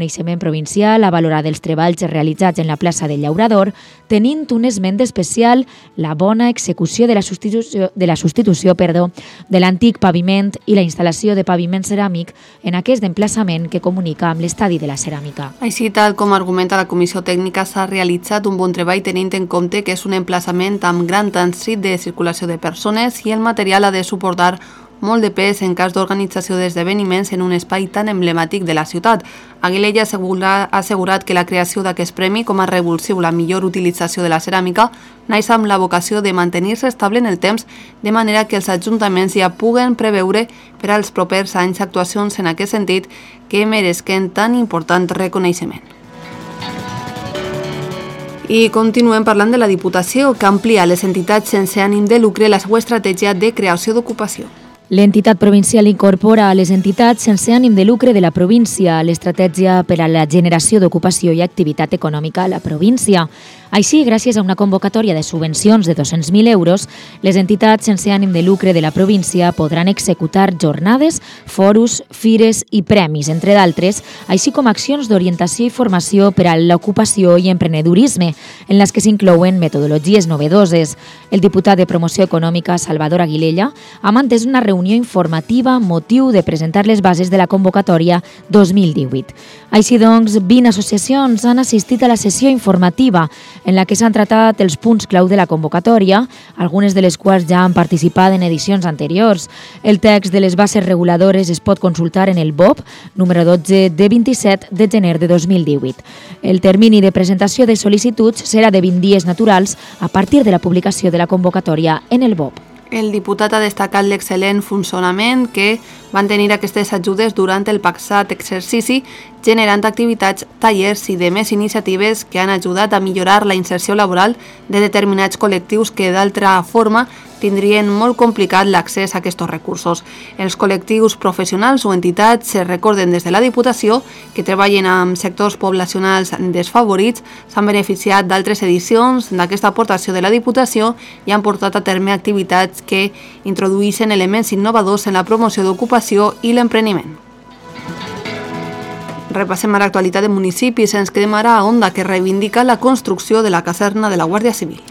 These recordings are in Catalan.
Coneixement provincial ha valorat els treballs realitzats en la plaça del Llaurador, tenint un esment especial la bona execució de la substitució de l'antic paviment i la instal·lació de paviment ceràmic en aquest emplaçament que comunica amb l'estadi de la ceràmica. Així, tal com argumenta la Comissió Tècnica, s'ha realitzat un bon treball tenint en compte que és un emplaçament amb gran trànsit de circulació de persones i el material ha de suportar molt de pes en cas d'organització d'esdeveniments en un espai tan emblemàtic de la ciutat. Aguilella ha assegurat que la creació d'aquest premi com a revulsiu la millor utilització de la ceràmica naix amb la vocació de mantenir-se estable en el temps, de manera que els ajuntaments ja puguen preveure per als propers anys actuacions en aquest sentit que meresquen tan important reconeixement. I continuem parlant de la Diputació, que amplia a les entitats sense ànim de lucre la seva estratègia de creació d'ocupació. L'entitat provincial incorpora a les entitats sense ànim de lucre de la província l'estratègia per a la generació d'ocupació i activitat econòmica a la província. Així, gràcies a una convocatòria de subvencions de 200.000 euros, les entitats sense ànim de lucre de la província podran executar jornades, foros, fires i premis, entre d'altres, així com accions d'orientació i formació per a l'ocupació i emprenedorisme, en les que s'inclouen metodologies novedoses. El diputat de Promoció Econòmica, Salvador Aguilella, ha mantès una reunió informativa amb motiu de presentar les bases de la convocatòria 2018. Així doncs, 20 associacions han assistit a la sessió informativa, en la que s'han tratat els punts clau de la convocatòria, algunes de les quals ja han participat en edicions anteriors. El text de les bases reguladores es pot consultar en el BOP, número 12 de 27 de gener de 2018. El termini de presentació de sol·licituds serà de 20 dies naturals a partir de la publicació de la convocatòria en el BOP. El diputat ha destacat l'excel·lent funcionament que van tenir aquestes ajudes durant el passat exercici, generant activitats, tallers i demés iniciatives que han ajudat a millorar la inserció laboral de determinats col·lectius que d'altra forma tindrien molt complicat l'accés a aquests recursos. Els col·lectius professionals o entitats se recorden des de la Diputació que treballen amb sectors poblacionals desfavorits, s'han beneficiat d'altres edicions d'aquesta aportació de la Diputació i han portat a terme activitats que introduïssin elements innovadors en la promoció d'ocupació i l'empreniment. Repassem ara l'actualitat de municipis. Ens quedem ara a Onda, que reivindica la construcció de la caserna de la Guàrdia Civil.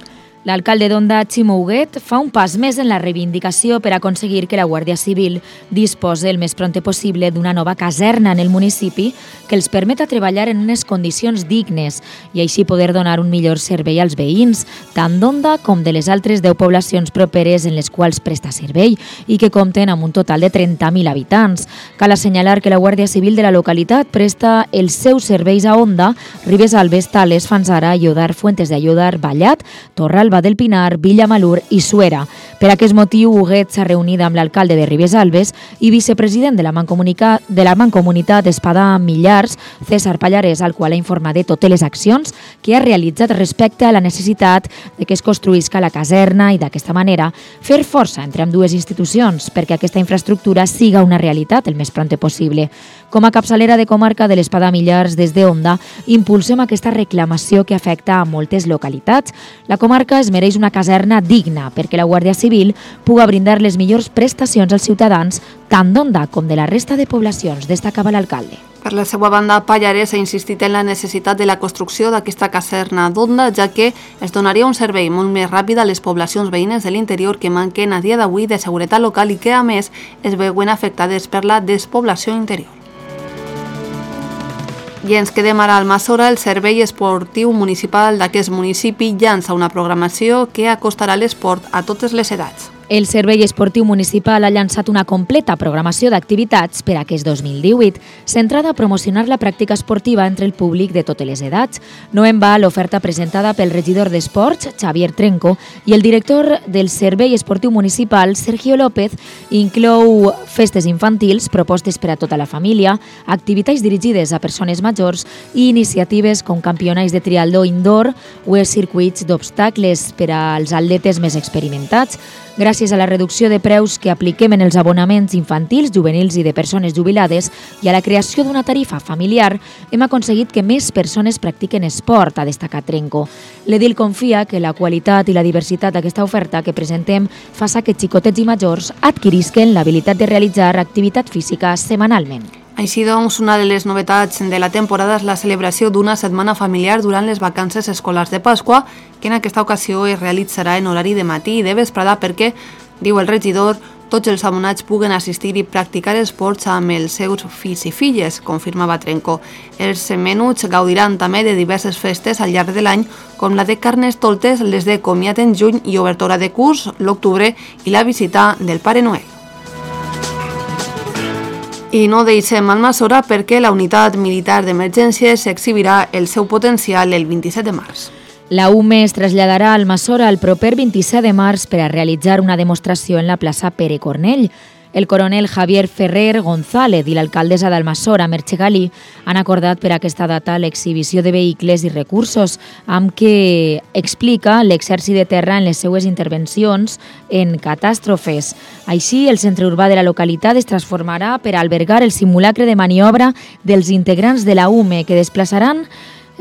L'alcalde d'Onda, Ximo Huguet, fa un pas més en la reivindicació per aconseguir que la Guàrdia Civil disposi el més prompte possible d'una nova caserna en el municipi que els permeta treballar en unes condicions dignes i així poder donar un millor servei als veïns, tant d'Onda com de les altres 10 poblacions properes en les quals presta servei i que compten amb un total de 30.000 habitants. Cal assenyalar que la Guàrdia Civil de la localitat presta els seus serveis a Onda, Ribes Alves, Tales, Fanzara, Ayodar, Fuentes de Ayodar, Vallat, Torralba del Pinar, Villamalur i Suera. Per aquest motiu, Huguet s'ha reunit amb l'alcalde de Ribes Alves i vicepresident de la Mancomunitat Espadà Millars, César Pallarès, al qual ha informat de totes les accions que ha realitzat respecte a la necessitat de que es construïsca la caserna i d'aquesta manera fer força entre ambdues institucions perquè aquesta infraestructura siga una realitat el més prompte possible. Com a capçalera de comarca de l'Espadà Millars, des d'Onda, impulsem aquesta reclamació que afecta a moltes localitats. La comarca es mereix una caserna digna perquè la Guàrdia Civil puga brindar les millors prestacions als ciutadans tant d'Onda com de la resta de poblacions, destacava l'alcalde. Per la seva banda, Pallarès ha insistit en la necessitat de la construcció d'aquesta caserna d'Onda, ja que es donaria un servei molt més ràpid a les poblacions veïnes de l'interior que manquen a dia d'avui de seguretat local i que, a més, es veuen afectades per la despoblació interior. I ens quedem ara al Almassora. El Servei Esportiu Municipal d'aquest municipi llança una programació que acostarà l'esport a totes les edats. El Servei Esportiu Municipal ha llançat una completa programació d'activitats per a aquest 2018, centrada a promocionar la pràctica esportiva entre el públic de totes les edats. No en va l'oferta presentada pel regidor d'Esports, Xavier Trenco, i el director del Servei Esportiu Municipal, Sergio López, inclou festes infantils, propostes per a tota la família, activitats dirigides a persones majors i iniciatives com campionats de triatló indoor o els circuits d'obstacles per als atletes més experimentats. Gràcies a la reducció de preus que apliquem en els abonaments infantils, juvenils i de persones jubilades i a la creació d'una tarifa familiar, hem aconseguit que més persones practiquen esport, ha destacat Trenco. L'edil confia que la qualitat i la diversitat d'aquesta oferta que presentem fa que xicotets i majors adquirisquen l'habilitat de realitzar activitat física setmanalment. Així doncs, una de les novetats de la temporada és la celebració d'una setmana familiar durant les vacances escolars de Pasqua, que en aquesta ocasió es realitzarà en horari de matí i de vesprada perquè, diu el regidor, tots els abonats puguen assistir i practicar esports amb els seus fills i filles, confirmava Trenco. Els menuts gaudiran també de diverses festes al llarg de l'any, com la de Carnestoltes, les de comiat en juny i obertura de curs l'octubre i la visita del Pare Noel. I no deixem Almassora perquè la unitat militar d'emergències exhibirà el seu potencial el 27 de març. La UME es traslladarà a Almassora el proper 27 de març per a realitzar una demostració en la plaça Pere Cornell. El coronel Javier Ferrer González i l'alcaldessa d'Almassora, Merche Galí, han acordat per a aquesta data l'exhibició de vehicles i recursos, amb què explica l'exèrcit de terra en les seues intervencions en catàstrofes. Així, el centre urbà de la localitat es transformarà per a albergar el simulacre de maniobra dels integrants de la UME, que es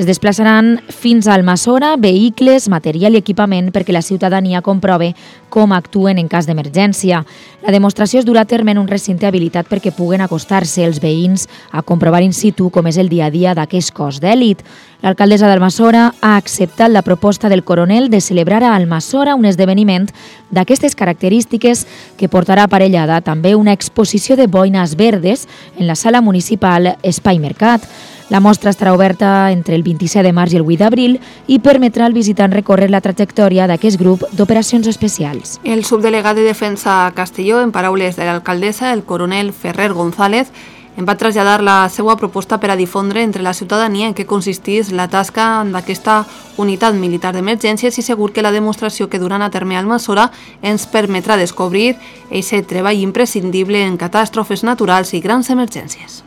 desplaçaran fins a Almassora vehicles, material i equipament perquè la ciutadania comprove com actuen en cas d'emergència. La demostració es durà a terme en un recinte habilitat perquè puguen acostar-se els veïns a comprovar in situ com és el dia a dia d'aquest cos d'èlit. L'alcaldessa d'Almassora ha acceptat la proposta del coronel de celebrar a Almassora un esdeveniment d'aquestes característiques que portarà aparellada també una exposició de boines verdes en la sala municipal Espai Mercat. La mostra estarà oberta entre el 27 de març i el 8 d'abril i permetrà al visitant recórrer la trajectòria d'aquest grup d'operacions especials. El subdelegat de Defensa a Castelló, en paraules de l'alcaldessa, el coronel Ferrer González, en va traslladar la seva proposta per a difondre entre la ciutadania en què consistís la tasca d'aquesta unitat militar d'emergències i segur que la demostració que duran a terme a Almassora ens permetrà descobrir aquest treball imprescindible en catàstrofes naturals i grans emergències.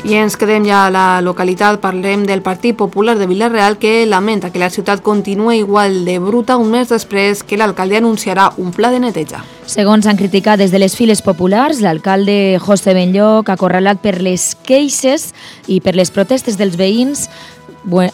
I ens quedem ja a la localitat, parlem del Partit Popular de Vila-real que lamenta que la ciutat continua igual de bruta un mes després que l'alcalde anunciarà un pla de neteja. Segons han criticat des de les files populars, l'alcalde José Benlloc, acorralat per les queixes i per les protestes dels veïns,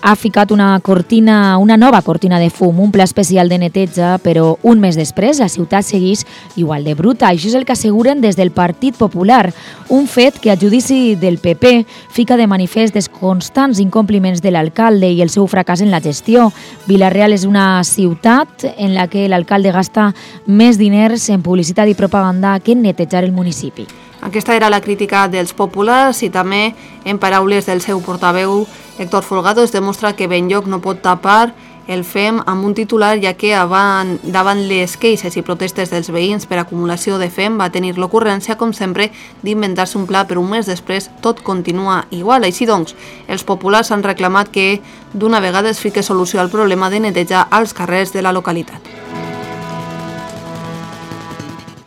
ha ficat una nova cortina de fum, un pla especial de neteja, però un mes després la ciutat segueix igual de bruta. Això és el que asseguren des del Partit Popular, un fet que a judici del PP fica de manifest els constants incompliments de l'alcalde i el seu fracàs en la gestió. Vila-real és una ciutat en la que l'alcalde gasta més diners en publicitat i propaganda que en netejar el municipi. Aquesta era la crítica dels populars i també, en paraules del seu portaveu, Héctor Folgado, es demostra que Benlloc no pot tapar el FEM amb un titular, ja que davant les queixes i protestes dels veïns per acumulació de FEM va tenir l'ocurrència, com sempre, d'inventar-se un pla, però un mes després tot continua igual. Així doncs, els populars han reclamat que d'una vegada es fique solució al problema de neteja als carrers de la localitat.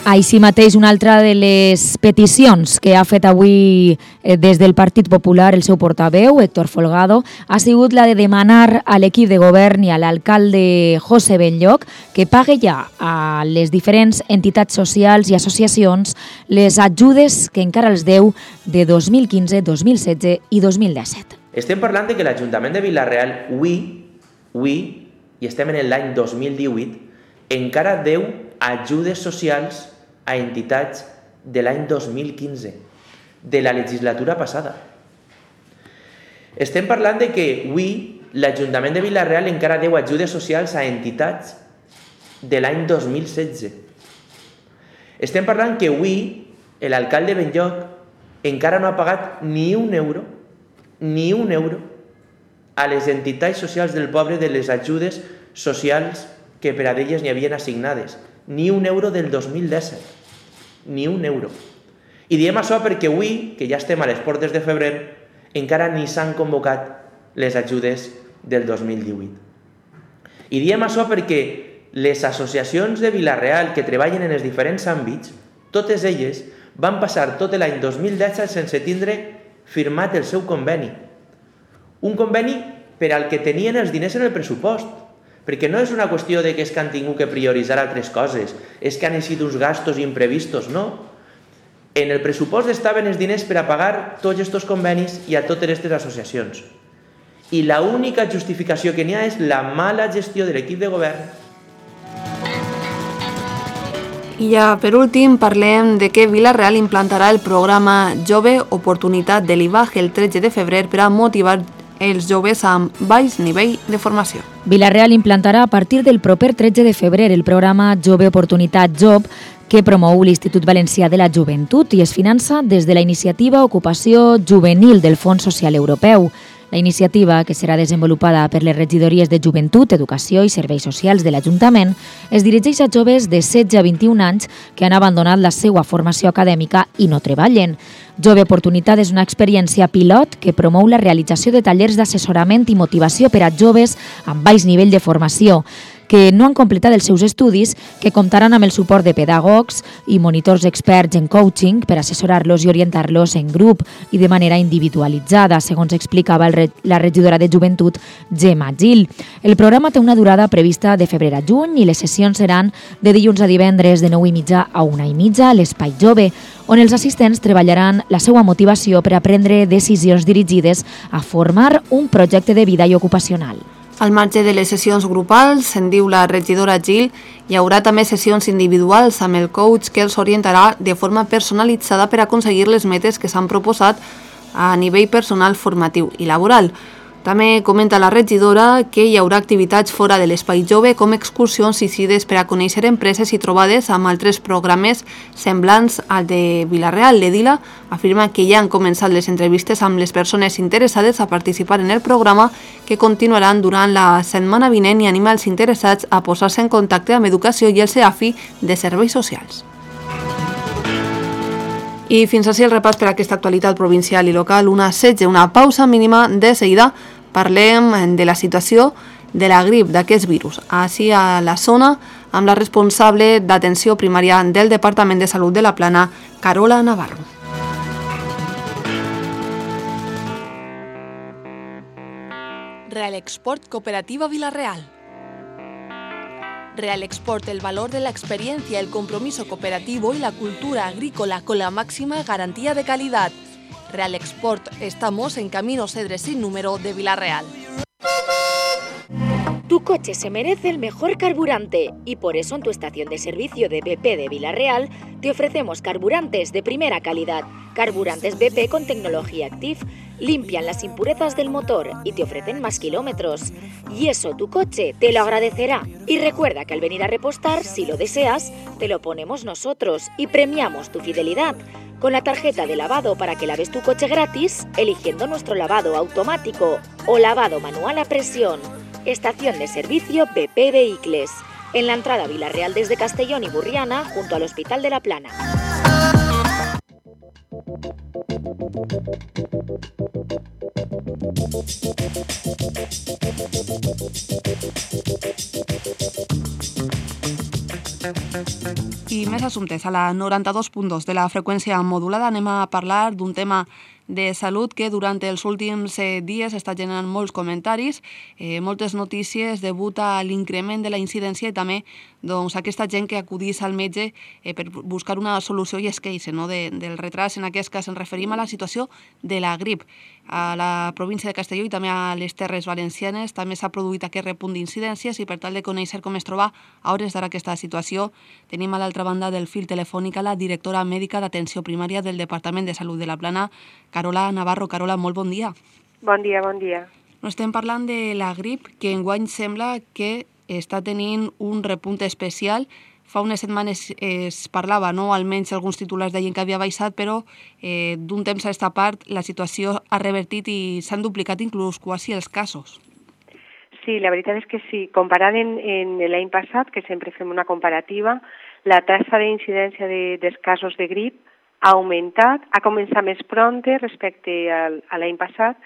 Així mateix, una altra de les peticions que ha fet avui des del Partit Popular el seu portaveu, Héctor Folgado, ha sigut la de demanar a l'equip de govern i a l'alcalde José Benlloc que pague ja a les diferents entitats socials i associacions les ajudes que encara els deu de 2015, 2016 i 2017. Estem parlant de que l'Ajuntament de Vila-real, avui, i estem en l'any 2018, encara deu ajudes socials a entitats de l'any 2015, de la legislatura passada. Estem parlant de que avui l'Ajuntament de Vila-real encara deu ajudes socials a entitats de l'any 2016. Estem parlant que avui l'alcalde Benlloc encara no ha pagat ni un euro a les entitats socials del poble de les ajudes socials que per a d'elles n'hi havien assignades. Ni un euro del 2017, ni un euro. I diem això perquè avui, que ja estem a les portes de febrer, encara ni s'han convocat les ajudes del 2018. I diem això perquè les associacions de Vila-real que treballen en els diferents àmbits, totes elles van passar tot l'any 2017 sense tindre firmat el seu conveni. Un conveni per al que tenien els diners en el pressupost. Perquè no és una qüestió de que és que han tingut que prioritzar altres coses, és que han sigut uns gastos imprevistos, no. En el pressupost estaven els diners per a pagar tots aquests convenis i a totes aquestes associacions. I l'única justificació que n'hi ha és la mala gestió de l'equip de govern. I ja, per últim, parlem de que Vila-real implantarà el programa Jove Oportunitat de l'IVAG el 13 de febrer per a motivar els joves amb baix nivell de formació. Vila-real implantarà a partir del proper 13 de febrer el programa Jove Oportunitat Job, que promou l'Institut Valencià de la Joventut i es finança des de la iniciativa Ocupació Juvenil del Fons Social Europeu. La iniciativa, que serà desenvolupada per les regidories de Joventut, Educació i Serveis Socials de l'Ajuntament, es dirigeix a joves de 16 a 21 anys que han abandonat la seva formació acadèmica i no treballen. Jove Oportunitat és una experiència pilot que promou la realització de tallers d'assessorament i motivació per a joves amb baix nivell de formació, que no han completat els seus estudis, que comptaran amb el suport de pedagogs i monitors experts en coaching per assessorar-los i orientar-los en grup i de manera individualitzada, segons explicava la regidora de Joventut, Gemma Gil. El programa té una durada prevista de febrer a juny i les sessions seran de dilluns a divendres de 9:30 a 1:30 a l'Espai Jove, on els assistents treballaran la seva motivació per a prendre decisions dirigides a formar un projecte de vida i ocupacional. Al marge de les sessions grupals, se'n diu la regidora Gil, hi haurà també sessions individuals amb el coach que els orientarà de forma personalitzada per aconseguir les metes que s'han proposat a nivell personal, formatiu i laboral. També comenta la regidora que hi haurà activitats fora de l'Espai Jove com excursions i cides per a conèixer empreses i trobades amb altres programes semblants al de Vila-real. L'Edila afirma que ja han començat les entrevistes amb les persones interessades a participar en el programa, que continuaran durant la setmana vinent, i anima els interessats a posar-se en contacte amb Educació i el CEAFI de Serveis Socials. I fins així el repàs per a aquesta actualitat provincial i local. Una pausa mínima. De seguida parlem de la situació de la grip, d'aquest virus, així a la zona, amb la responsable d'atenció primària del Departament de Salut de la Plana, Carola Navarro. Real Export Cooperativa Vila-real. Real Export, el valor de la experiencia, el compromiso cooperativo y la cultura agrícola con la máxima garantía de calidad. Real Export, estamos en Camino Cedres sin número de Vila-real. Tu coche se merece el mejor carburante y por eso en tu estación de servicio de BP de Vila-real te ofrecemos carburantes de primera calidad. Carburantes BP con tecnología Active limpian las impurezas del motor y te ofrecen más kilómetros. Y eso tu coche te lo agradecerá. Y recuerda que al venir a repostar, si lo deseas, te lo ponemos nosotros y premiamos tu fidelidad con la tarjeta de lavado para que laves tu coche gratis eligiendo nuestro lavado automático o lavado manual a presión. Estación de servicio BP Vehicles, en la entrada a Vila-real desde Castellón y Burriana, junto al Hospital de la Plana. I més assumptes. A la 92.2 de la freqüència modulada anem a parlar d'un tema de salut que durant els últims dies està generant molts comentaris, moltes notícies degut a l'increment de la incidència i també aquesta gent que acudís al metge per buscar una solució i es queixa del retras. En aquest cas ens referim a la situació de la grip. A la província de Castelló i també a les Terres Valencianes també s'ha produït aquest repunt d'incidències i per tal de conèixer com es troba a hores d'ara aquesta situació tenim a l'altra banda del fil telefònic a la directora mèdica d'atenció primària del Departament de Salut de la Plana, Carola Navarro. Carola, molt bon dia. Bon dia, bon dia. Estem parlant de la grip, que enguany sembla que està tenint un repunt especial. Fa unes setmanes es parlava, almenys alguns titulars deien que havia baixat, però d'un temps a aquesta part la situació ha revertit i s'han duplicat inclús quasi els casos. Sí, la veritat és que sí. Comparant en l'any passat, que sempre fem una comparativa, la taxa d'incidència dels casos de grip ha augmentat, ha començat més prompte respecte a l'any passat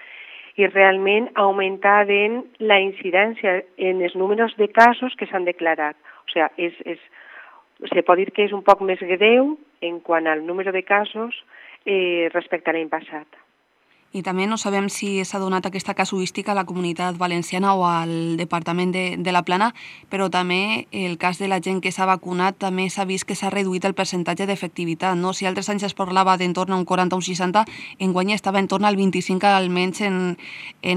i realment ha augmentat en la incidència, en els números de casos que s'han declarat. O sigui, se pot dir que és un poc més greu en quant al número de casos respecte a l'any passat. I també no sabem si s'ha donat aquesta casuística a la comunitat valenciana o al Departament de la Plana, però també el cas de la gent que s'ha vacunat també s'ha vist que s'ha reduït el percentatge d'efectivitat. Si altres anys es parlava d'entorn a un 40 o un 60, enguany estava entorn al 25 almenys en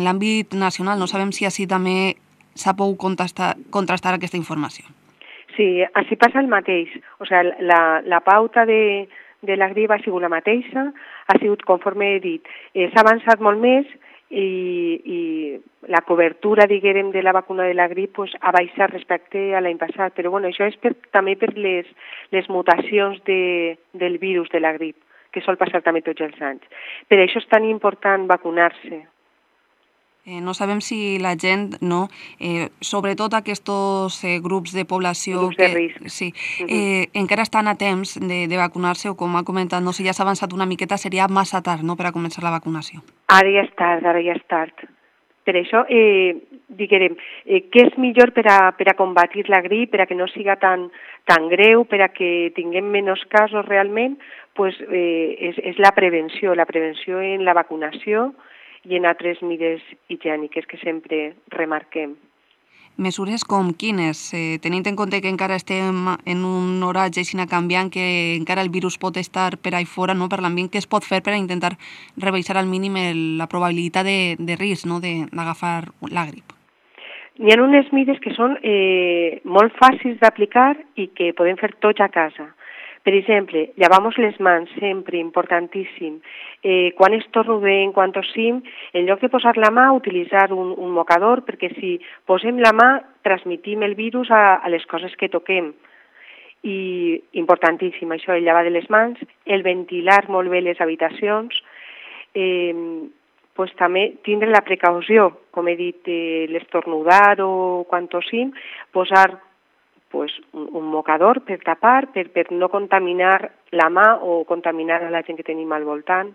l'àmbit nacional. No sabem si així també s'ha pogut contrastar aquesta informació. Sí, així passa el mateix. O sigui, la pauta de la grip ha sigut la mateixa, ha sigut, conforme he dit, s'ha avançat molt més i la cobertura, diguem, de la vacuna de la grip pues, ha baixat respecte a l'any passat. Però bueno, això és també per les mutacions del virus de la grip, que sol passar també tots els anys. Per això és tan important vacunar-se. No sabem si la gent, no, sobretot aquests grups de població grups de risc. Sí, encara estan a temps de vacunar-se o, com ha comentat, no, si ja s'ha avançat una miqueta seria massa tard, no?, per a començar la vacunació. Ara ja és tard. Per això, diguem, què és millor per a combatir la grip, per a que no siga tan greu, per a que tinguem menys casos realment, pues, és la prevenció en la vacunació i en altres mesures higièniques que sempre remarquem. Mesures com quines? Tenint en compte que encara estem en un horatge així canviant, que encara el virus pot estar per ahí fora, no, per l'ambient, què es pot fer per a intentar rebaixar al mínim la probabilitat de risc, no, d'agafar la grip? N'hi ha unes mesures que són molt fàcils d'aplicar i que podem fer tots a casa. Per exemple, llavamos les mans, sempre, importantíssim. Quan estornudem, quan tossim, en lloc de posar la mà, utilitzar un mocador, perquè si posem la mà, transmitim el virus a les coses que toquem. I importantíssim, això, el llevar de les mans, el ventilar molt bé les habitacions, pues, també tindre la precaució, com he dit, l'estornudar o quan tossim, posar pues, un mocador per tapar, per no contaminar la mà o contaminar a la gent que tenim al voltant.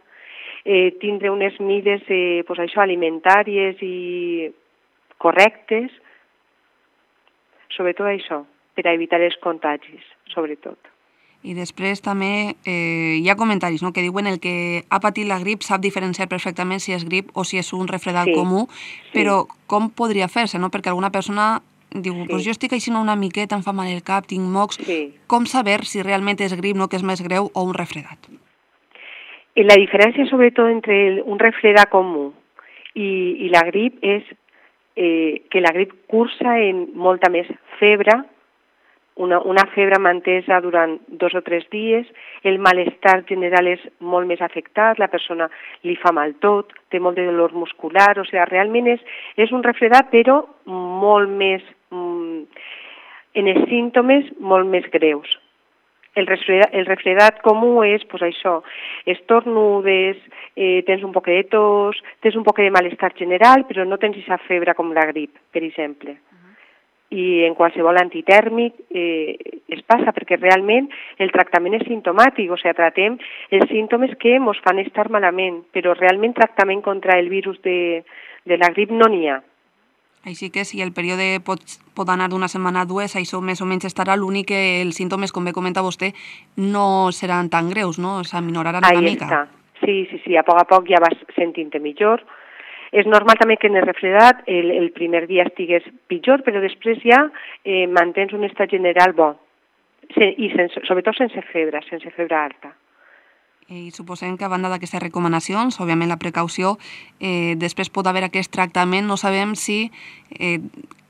Tindre unes mides pues, això, alimentàries i correctes, sobretot això, per a evitar els contagis, sobretot. I després també hi ha comentaris, no?, que diuen el que ha patit la grip sap diferenciar perfectament si és grip o si és un refredat comú, però com podria fer-se, no?, perquè alguna persona diu, pues jo estic així una miqueta, em fa mal el cap, tinc mocs. Com saber si realment és grip, no, que és més greu, o un refredat? La diferència, sobretot, entre un refredat comú i la grip és que la grip cursa en molta més febre, una febre mantesa durant 2 o 3 dies, el malestar general és molt més afectat, la persona li fa mal tot, té molt de dolor muscular, o sigui, realment és un refredat, però molt més, en els símptomes molt més greus. El refredat comú és, pues això, estornudes, tens un poc de tos, tens un poc de malestar general, però no tens aquesta febre com la grip, per exemple. I en qualsevol antitèrmic es passa, perquè realment el tractament és simptomàtic, o sigui, tratem els símptomes que ens fan estar malament, però realment tractament contra el virus de la grip no n'hi ha. Així que si el període pot anar d'una setmana a 2, això més o menys estarà, l'únic que els símptomes, com bé comenta vostè, no seran tan greus, no? S'aminoraran una mica. Sí, a poc ja vas sentint-te millor. És normal també que en el refredat el primer dia estigués pitjor, però després ja mantens un estat general bo, i sobretot sense febre alta. I suposem que a banda d'aquestes recomanacions, òbviament la precaució, després pot haver aquest tractament. No sabem si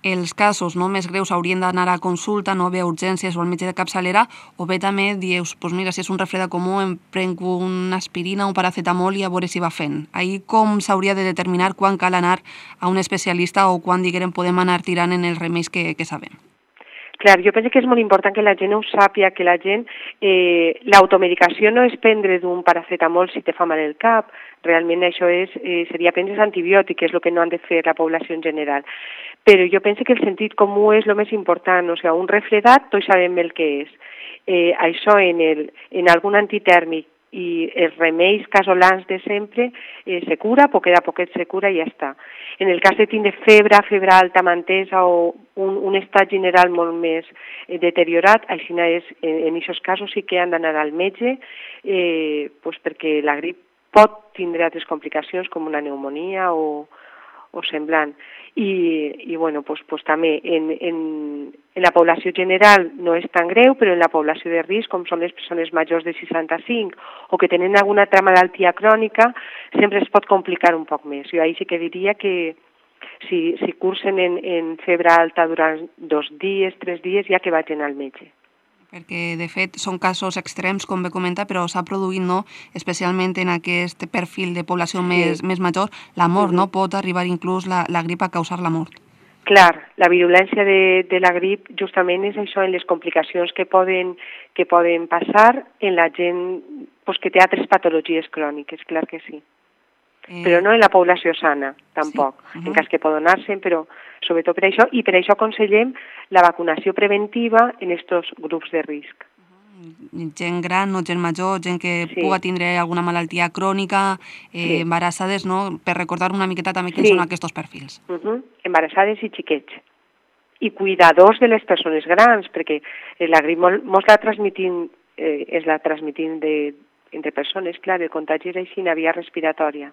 els casos més greus haurien d'anar a consulta, no bé a urgències o al metge de capçalera, o bé també dius, doncs mira, si és un refredat comú em prenc una aspirina o un paracetamol i a veure si va fent. Ahir com s'hauria de determinar quan cal anar a un especialista o quan, diguem, podem anar tirant en els remeis que sabem? Clar, jo penso que és molt important que la gent ho sàpiga, que la gent... l'automedicació no és prendre d'un paracetamol si te fa mal el cap, realment això seria prendre antibiòtic, que és el que no han de fer la població en general. Però jo penso que el sentit comú és el més important, o sigui, un refredat tots sabem el que és. Això en algun antitèrmic i els remeis casolans de sempre se cura, poquet a poquet se cura i ja està. En el cas de tindre febre alta mantesa o un estat general molt més deteriorat, així en aquests casos sí que han d'anar al metge, perquè la grip pot tindre altres complicacions com una pneumonia o semblant. I bueno, també en la població general no és tan greu, però en la població de risc, com són les persones majors de 65 o que tenen alguna altra malaltia crònica, sempre es pot complicar un poc més. Jo ahir sí que diria que Si cursen en febre alta durant 2 dies, 3 dies, ja que vagin al metge. Perquè, de fet, són casos extrems, com bé comenta, però s'ha produït, no?, especialment en aquest perfil de població més major, la mort, no? Pot arribar inclús la grip a causar la mort. Clar, la virulència de la grip justament és això, en les complicacions que poden passar en la gent que té altres patologies cròniques, clar que sí. Però no en la població sana, tampoc. Sí. En cas que pot donar-se, però sobretot per això, i per això aconsellem la vacunació preventiva en aquests grups de risc. Gent gran, no gent major, gent que puga tindre alguna malaltia crònica, embarassades, no? Per recordar una miqueta també quins són aquests perfils. Embarassades i xiquets. I cuidadors de les persones grans, perquè la grip mos la transmitim, entre persones, clar, el contagi és així, una via respiratòria.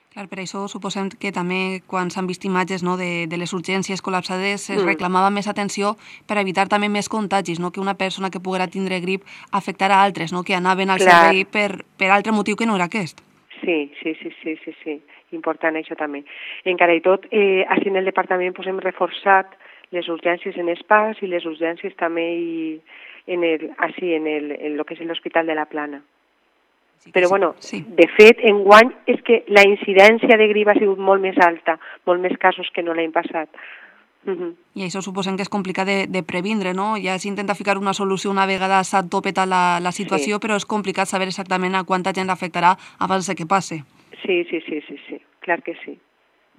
Clar, per això suposem que també quan s'han vist imatges, no, de les urgències col·lapsades es reclamava més atenció per evitar també més contagis, no? Que una persona que poguera tindre grip afectarà altres, no? Que anaven al servei per altre motiu que no era aquest. Sí. Important això també. Encara i tot, així en el departament hem reforçat les urgències en ESPAS i les urgències també en el que és l'Hospital de la Plana. Però, de fet, enguany és que la incidència de grip ha sigut molt més alta, molt més casos que no l'any passat. I això suposem que és complicat de previndre, no? Ja s'intenta ficar una solució una vegada s'ha topetat la situació, però és complicat saber exactament a quanta gent l'afectarà abans que passe. Sí, clar que sí.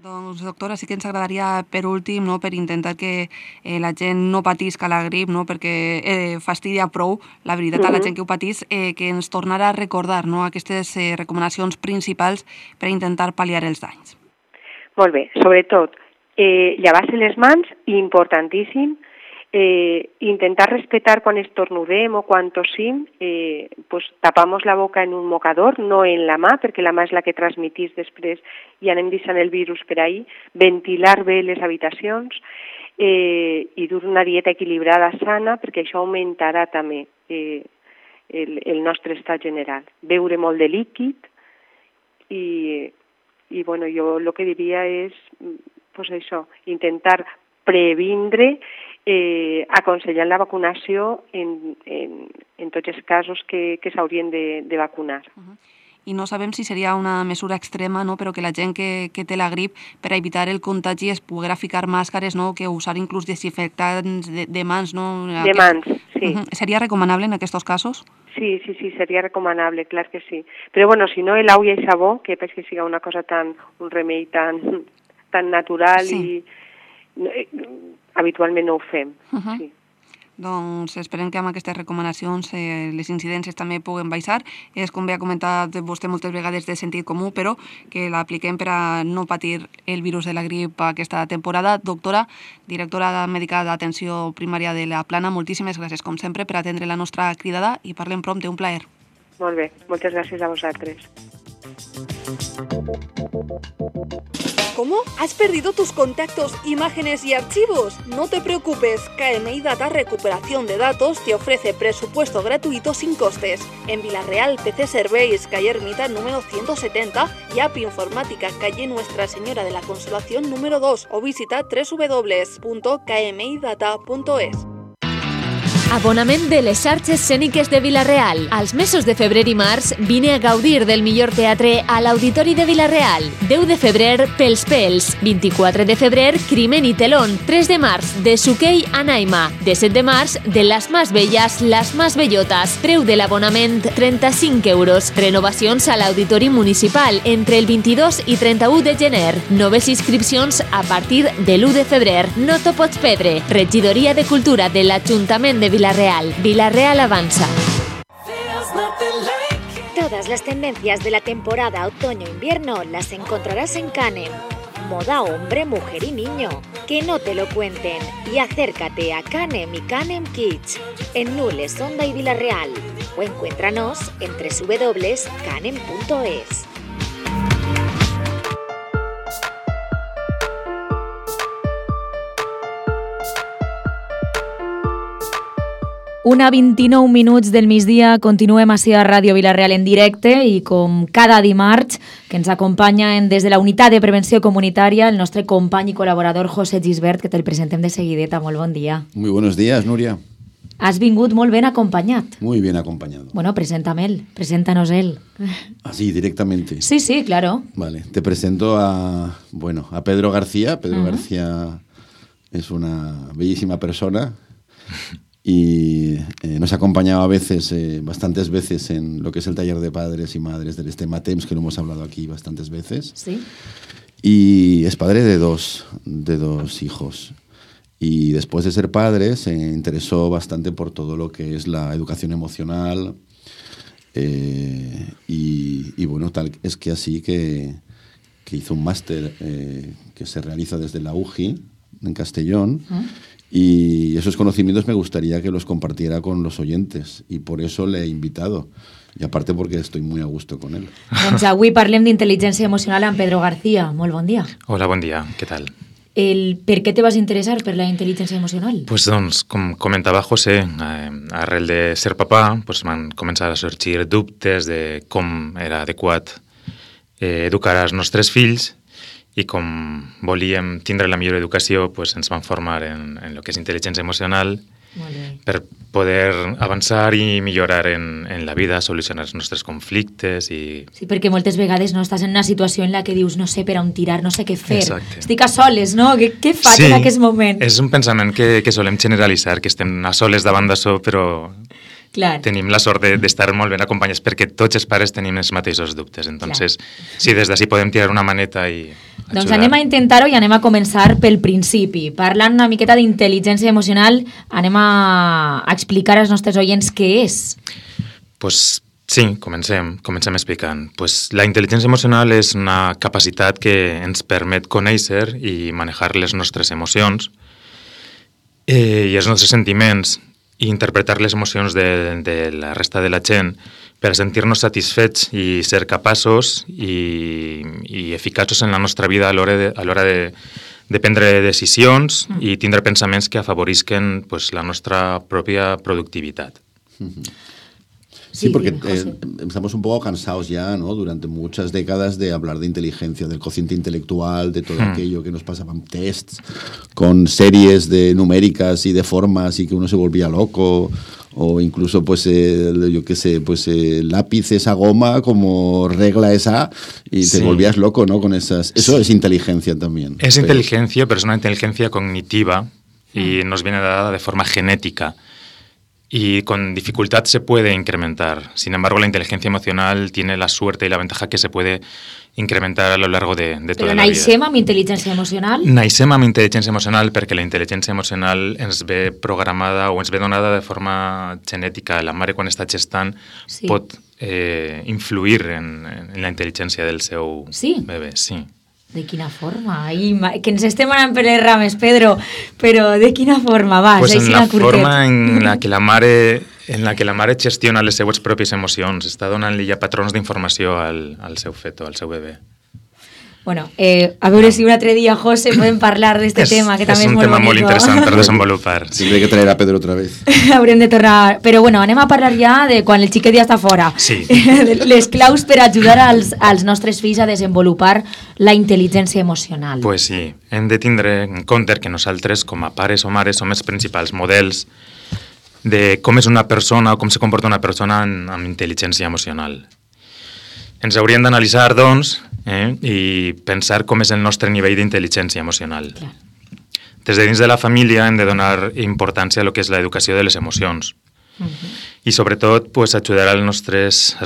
Doncs, doctora, sí que ens agradaria, per últim, no, per intentar que la gent no patisca la grip, no, perquè fastidia prou, la veritat, a la gent que ho patís, que ens tornarà a recordar, no, aquestes recomanacions principals per intentar pal·liar els danys. Molt bé, sobretot, llevar-se les mans, importantíssim, intentar respetar quan estornudem o quan tossim, tapamos la boca en un mocador, no en la mà, perquè la mà és la que transmetís després i anem deixant el virus per ahí, ventilar bé les habitacions i dur una dieta equilibrada, sana, perquè això augmentarà també el nostre estat general. Beure molt de líquid i bueno, jo el que diria és això, intentar previndre aconsellant la vacunació en tots els casos que s'haurien de vacunar. I no sabem si seria una mesura extrema, no? Però que la gent que té la grip, per evitar el contagi, es poguera ficar màscares, no? Que usar inclús desinfectants de mans, no? De mans, sí. Seria recomanable en aquests casos? Sí, seria recomanable, clar que sí. Però bueno, si no, l'aigua i sabó, que penso que sigui una cosa un remei tan natural i habitualment no ho fem. Sí. Doncs esperem que amb aquestes recomanacions les incidències també puguen baixar. És, com bé ha comentat vostè moltes vegades, de sentit comú, però que l'apliquem per a no patir el virus de la grip aquesta temporada. Doctora, directora mèdica d'atenció primària de la Plana, moltíssimes gràcies, com sempre, per atendre la nostra cridada i parlem prompte. Un plaer. Molt bé, moltes gràcies a vosaltres. ¿Cómo? ¿Has perdido tus contactos, imágenes y archivos? No te preocupes, KMI Data Recuperación de Datos te ofrece presupuesto gratuito sin costes. En Vilareal, PC Serveis, calle Ermita número 170 y App Informática, calle Nuestra Señora de la Consolación número 2 o visita www.kmidata.es. Abonament de les xarxes escèniques de Vila-real. Als mesos de febrer i març vine a gaudir del millor teatre a l'Auditori de Vila-real. 10 de febrer, Pels Pels. 24 de febrer, Crimen y Telón. 3 de març, de Suquei a Naima. 17 de març, de Las Más Bellas, Las Más Bellotas. Preu de l'abonament, 35 euros. Renovacions a l'Auditori Municipal entre el 22 i 31 de gener. Noves inscripcions a partir de l'1 de febrer. No t'ho pots perdre. Regidoria de Cultura de l'Ajuntament de Vila-real. Vila-real avanza. Todas las tendencias de la temporada otoño-invierno las encontrarás en Canem. Moda hombre, mujer y niño. Que no te lo cuenten. Y acércate a Canem y Canem Kids en Nules, Onda y Vila-real. O encuéntranos en www.canem.es. 1:29 del migdia, continuem així a Ràdio Vila-real en directe i com cada dimarts que ens acompanyen des de la Unitat de Prevenció Comunitària el nostre company i col·laborador José Gisbert, que te'l presentem de seguideta. Molt bon dia. Muy buenos días, Nuria. Has vingut molt ben acompanyat. Muy bien acompañado. Bueno, preséntanos él. Así, directamente. Sí, claro. Vale, te presento a Pedro García. Pedro García es una bellísima persona y nos ha acompañado a veces, bastantes veces, en lo que es el taller de padres y madres del Estema Temps, que lo hemos hablado aquí bastantes veces. Sí. Y es padre de dos hijos. Y después de ser padre se interesó bastante por todo lo que es la educación emocional y bueno, tal es que así que hizo un máster que se realiza desde la UGI en Castellón y esos conocimientos me gustaría que los compartiera con los oyentes y por eso le he invitado. I a part perquè estoy muy a gusto con él. Doncs avui parlem d'intel·ligència emocional amb Pedro García. Molt bon dia. Hola, bon dia. Què tal? Per què te vas interessar per la intel·ligència emocional? Pues doncs, com comentava José, arrel de ser papà, pues van començar a sorgir dubtes de com era adequat educar els nostres fills i com volíem tindre la millor educació, pues ens vam formar en el que és intel·ligència emocional per poder avançar i millorar en la vida, solucionar els nostres conflictes i... Sí, perquè moltes vegades no estàs en una situació en la que dius no sé per on tirar, no sé què fer. Exacte. Estic a soles, no? Què faig en aquest moment? És un pensament que solem generalitzar, que estem a soles davant d'això, però Clar. tenim la sort d'estar molt ben acompanyats perquè tots els pares tenim els mateixos dubtes. Entonces, sí, des d'ací podem tirar una maneta i ajudar. Doncs anem a intentar-ho i anem a començar pel principi. Parlant una miqueta d'intel·ligència emocional, anem a explicar als nostres oients què és. Pues sí, comencem explicant. Pues la intel·ligència emocional és una capacitat que ens permet conèixer i manejar les nostres emocions i els nostres sentiments i interpretar les emocions de la resta de la gent per sentir-nos satisfets i ser capaços i eficaços en la nostra vida a l'hora de prendre decisions i tindre pensaments que afavorisquen pues, la nostra pròpia productivitat. Sí, porque estamos un poco cansados ya, ¿no? Durante muchas décadas de hablar de inteligencia, del cociente intelectual, de todo aquello que nos pasaban tests con series de numéricas y de formas y que uno se volvía loco, o incluso, pues, yo qué sé, pues lápiz esa goma como regla esa y te volvías loco, ¿no? Con esas... Eso es inteligencia también. Es inteligencia, pero es una inteligencia cognitiva y nos viene dada de forma genética. Y con dificultad se puede incrementar. Sin embargo, la inteligencia emocional tiene la suerte y la ventaja que se puede incrementar a lo largo de toda la vida. Però naixem amb intel·ligència emocional? Naixem amb intel·ligència emocional perquè la intel·ligència emocional ens ve programada o ens ve donada de forma genètica. La mare, quan està gestant, pot influir en la intel·ligència del seu bebè. Sí. De quina forma? Que ens estem anant per les rames, Pedro, però de quina forma? Va, pues en la forma en la que la mare gestiona les seues pròpies emocions, està donant-li ja patrons d'informació al seu feto, al seu bebè. Bueno, a veure si un altre dia, José, podem parlar d'este tema, que també és molt bonito. És un tema molt interessant per desenvolupar. Siempre hay que traer a Pedro otra vez. Haurem de tornar... Però bueno, anem a parlar ja de quan el xiquet ja està fora. Sí. Les claus per ajudar als nostres fills a desenvolupar la intel·ligència emocional. Pues sí, hem de tindre en compte que nosaltres, com a pares o mares, som els principals models de com és una persona o com se comporta una persona amb intel·ligència emocional. Ens hauríem d'analitzar, doncs, i pensar com és el nostre nivell d'intel·ligència emocional. Clar. Des de dins de la família hem de donar importància a lo que és l'educació de les emocions. I sobretot pues, ajudar als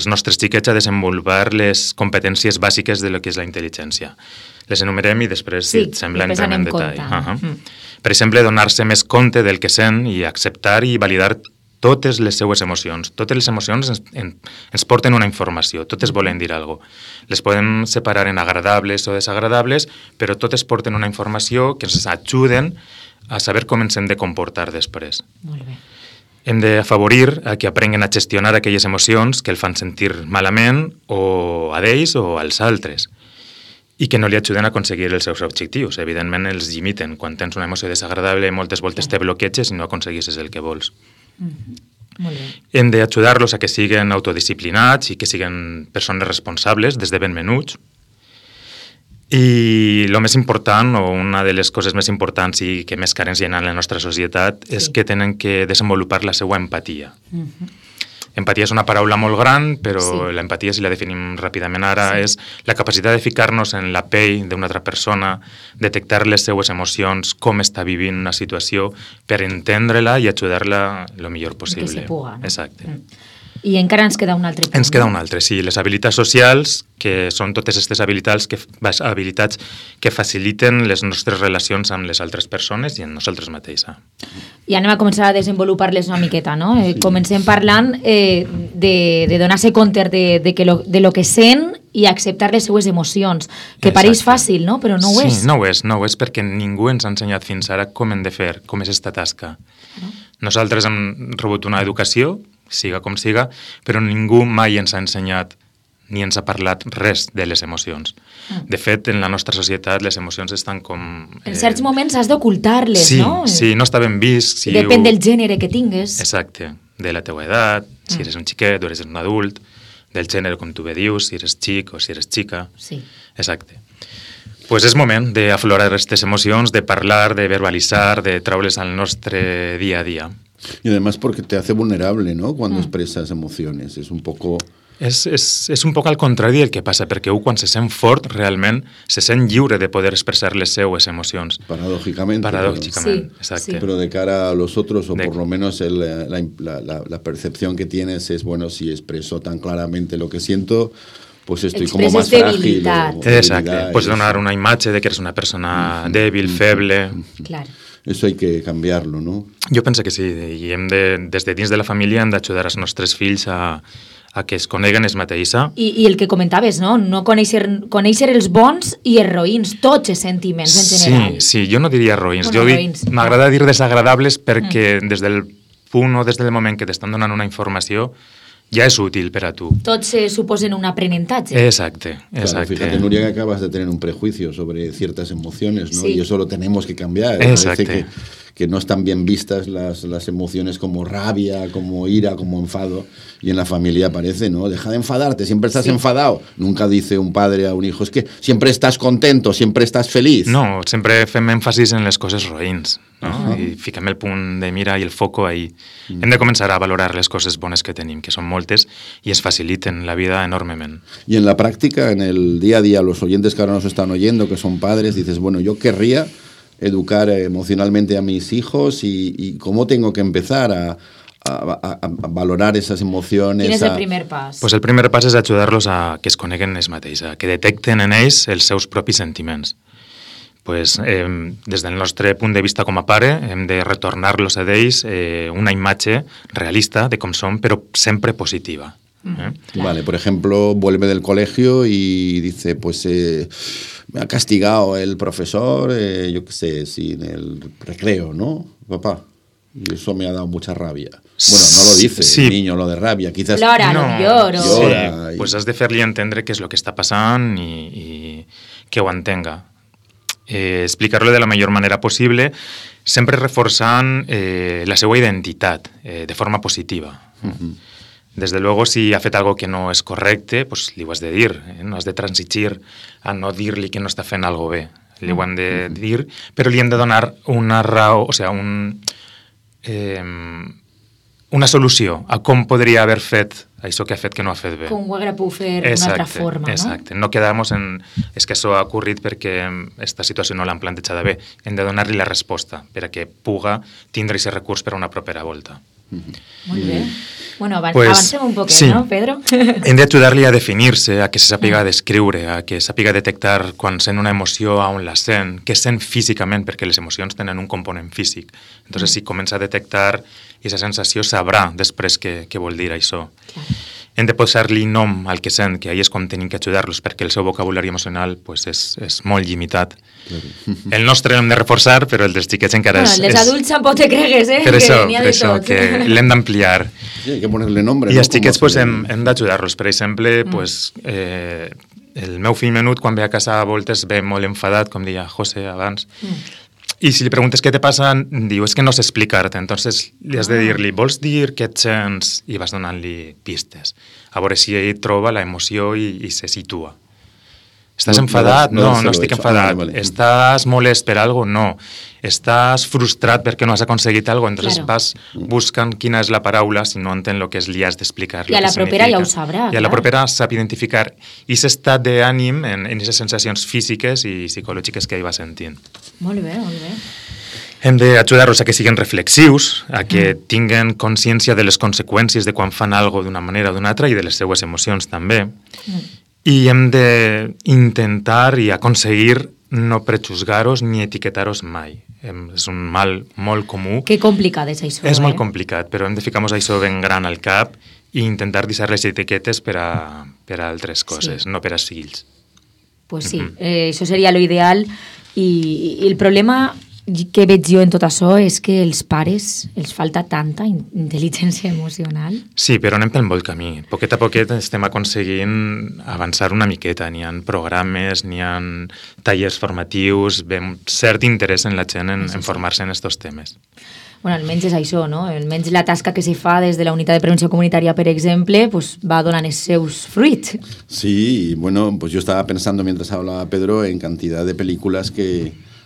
nostres xiquets a desenvolupar les competències bàsiques de lo que és la intel·ligència. Les enumerem i després, si et sembla, entrem en detall. Per exemple, donar-se més compte del que sent i acceptar i validar totes les seues emocions. Totes les emocions ens porten una informació, totes volen dir alguna cosa. Les podem separar en agradables o desagradables, però totes porten una informació que ens ajuden a saber com ens hem de comportar després. Molt bé. Hem d'afavorir a que aprenguen a gestionar aquelles emocions que el fan sentir malament o a d'ells o als altres i que no li ajuden a aconseguir els seus objectius. Evidentment els limiten. Quan tens una emoció desagradable moltes voltes te bloqueges i no aconseguisses el que vols. Molt bé. Hem d'ajudar-los a que siguin autodisciplinats i que siguin persones responsables des de ben menuts. I el més important, o una de les coses més importants i que més carents hi ha en la nostra societat, és que tenen que desenvolupar la seva empatia. Empatia és una paraula molt gran, però l'empatia, si la definim ràpidament ara, és la capacitat de ficar-nos en la pell d'una altra persona, detectar les seues emocions, com està vivint una situació, per entendre-la i ajudar-la el millor possible. Que se puga, no? Exacte. I encara ens queda un altre punt. Ens queda un altre, sí. Les habilitats socials, que són totes aquestes habilitats que faciliten les nostres relacions amb les altres persones i amb nosaltres mateixes. I anem a començar a desenvolupar-les una miqueta, no? Comencem parlant de donar-se compte de lo que sent i acceptar les seues emocions, que pareix fàcil, no? Però no ho és. Sí, no ho és perquè ningú ens ha ensenyat fins ara com hem de fer, com és esta tasca. Nosaltres hem rebut una educació, siga com siga, però ningú mai ens ha ensenyat ni ens ha parlat res de les emocions. De fet, en la nostra societat les emocions estan com... En certs moments has d'ocultar-les, no? Sí, no està ben vist. Depèn del gènere que tingues. Exacte, de la teua edat, si eres un xiquet o eres un adult, del gènere, com tu bé dius, si eres xic o si eres xica. Sí. Exacte. Pues és moment d'aflorar aquestes emocions, de parlar, de verbalitzar, de treure's al nostre día a día. Y además porque te hace vulnerable, ¿no? Cuando expresas emociones. Es un poco... És un poc al contrari del que passa, perquè quan se sent fort, realment, se sent lliure de poder expressar les seues emocions. Paradójicamente. Paradójicamente, exacte. Sí. Pero de cara a los otros, o por lo menos la percepción que tienes es, bueno, si expreso tan claramente lo que siento, pues estoy como más frágil. Exacte. Pots donar una imatge de que eres una persona dèbil, feble... Claro. Eso hay que cambiarlo, ¿no? Jo penso que sí, i des de dins de la família hem d'ajudar els nostres fills a que es coneguen ells mateixos. I el que comentaves, no? No conèixer els bons i els roïns, tots els sentiments en general. Sí, jo no diria roïns. M'agrada dir desagradables perquè des del punt o des del moment que t'estan donant una informació ja és útil per a tu. Tots suposen un aprenentatge. Exacte. Claro, fíjate, Nuria, que acabas de tener un prejuicio sobre ciertas emociones, ¿no? Sí. Y eso lo tenemos que cambiar. Exacte. Parece que no están bien vistas las emociones como rabia, como ira, como enfado, y en la familia aparece, ¿no? Deja de enfadarte, siempre estás enfadado. Nunca dice un padre a un hijo, es que siempre estás contento, siempre estás feliz. No, sempre fem èmfasis en les coses roïns, no? I fiquem el punt de mira i el foco ahí. Hem de començar a valorar les coses bones que tenim, que són moltes, i es faciliten la vida enormement. Y en la práctica, en el día a día, los oyentes que ahora nos están oyendo, que son padres, dices, bueno, yo querría educar emocionalmente a mis hijos y cómo tengo que empezar a valorar esas emociones. Quin és el primer pas? Pues el primer pas és ajudar-los a que es coneguen ells mateixos, que detecten en ells els seus propis sentiments. Pues, des del nostre punt de vista com a pare, hem de retornar-los a ells una imatge realista de com són, però sempre positiva. Vale, por ejemplo, vuelve del colegio y dice, pues me ha castigado el profesor, yo qué sé, sin el recreo, ¿no, papá? Y eso me ha dado mucha rabia. Bueno, no lo dice el niño, lo de rabia, quizás... Plora, no lloro. Llora. Sí, pues has de fer-li entendre què és el que està passant i que ho entenga. Explicar-lo de la millor manera possible, sempre reforçant la seva identitat de forma positiva. Desde luego, si ha fet algo que no és correcte, pues li ho has de dir. No has de transigir a no dir-li que no està fent algo bé. Li ho han de dir, però li hem de donar una raó, o sigui, una solució a com podria haver fet això que ha fet que no ha fet bé. Com ho haguera pogut fer d'una altra forma, no? Exacte. No quedar-nos en... És que això ha ocorrit perquè aquesta situació no l'han plantejada bé. Hem de donar-li la resposta per a que puga tindre aquest recurs per a una propera volta. Molt bé. Bueno, avancem un poquet, sí. No, Pedro? Hem d'ajudar-li a definir-se, a que se sàpiga descriure, a que sàpiga detectar quan sent una emoció, on la sent, què sent físicament, perquè les emocions tenen un component físic. Entonces, si comença a detectar aquesta sensació, sabrà després què vol dir això. Clar. Hem de posar-li nom al que sent, que ahí és quan tenim que ajudar-los, perquè el seu vocabulari emocional pues, és molt limitat. El nostre l'hem de reforçar, però el dels xiquets encara és... Les adults tampoc te cregues, Per això, que l'hem d'ampliar. Sí, hay que ponerle nombre. I els xiquets pues, hem d'ajudar-los. Per exemple, pues, el meu fill menut, quan ve a casa a voltes, ve molt enfadat, com deia José abans, I si li preguntes què te passa, diu, és que no sé explicar-te. Entonces li has de dir-li, vols dir què et sents? I vas donant-li pistes. A veure si ell troba la emoció i se situa. Estàs enfadat? No estic enfadat. Vale. Estàs molest per algo? No. Estàs frustrat perquè no has aconseguit algo? Entonces vas buscant quina és la paraula, si no entén el que és, li has d'explicar. I a la propera ja ho sabrà. I a la propera sap identificar aquest estat d'ànim en aquestes sensacions físiques i psicològiques que ell va sentint. Molt bé, molt bé. Hem d'ajudar-los a que siguin reflexius, a que tinguen consciència de les conseqüències de quan fan alguna cosa d'una manera o d'una altra i de les seues emocions també. I hem d'intentar i aconseguir no prejuzgar-los ni etiquetar-los mai. És un mal molt comú. Que complicat és això, És molt complicat, però hem de ficar-nos això ben gran al cap i intentar deixar les etiquetes per a altres coses, no per als fills. Pues sí, això seria l'ideal i el problema que veig jo en tot això és que els pares els falta tanta intel·ligència emocional. Sí, però anem pel bon camí. Poquet a poquet estem aconseguint avançar una miqueta. N'hi ha programes, n'hi ha tallers formatius, veiem cert interès en la gent en formar-se en aquests temes. Bueno, almenys és això, no? Almenys la tasca que se fa des de la unitat de prevenció comunitària, per exemple, pues va donant els seus fruits. Sí, bueno, pues yo estaba pensando mientras hablaba Pedro en cantidad de películas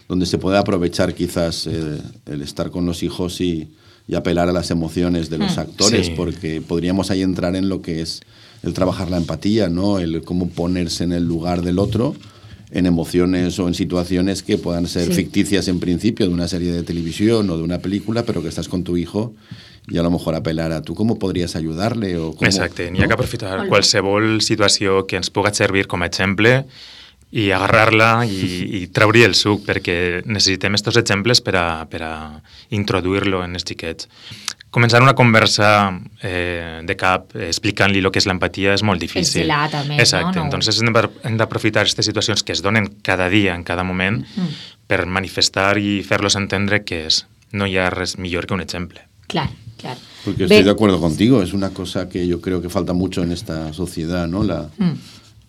donde se puede aprovechar quizás el estar con los hijos y apelar a las emociones de los actores, porque podríamos ahí entrar en lo que es el trabajar la empatía, ¿no? El cómo ponerse en el lugar del otro en emociones o en situaciones que puedan ser ficticias en principio de una serie de televisión o de una película, pero que estás con tu hijo i a lo mejor apelar a tu com podries ajudar-le o com... Exacte, n'hi ha que aprofitar qualsevol situació que ens pugui servir com a exemple i agarrar-la i treure el suc, perquè necessitem aquests exemples per a introduir-lo en els xiquets. Començar una conversa de cap explicant-li el que és l'empatia és molt difícil. És gelat, també, exacte. no? Entonces hem d'aprofitar aquestes situacions que es donen cada dia, en cada moment, per manifestar i fer-los entendre que no hi ha res millor que un exemple. Claro, claro. Porque estoy de acuerdo contigo, es una cosa que yo creo que falta mucho en esta sociedad, ¿no?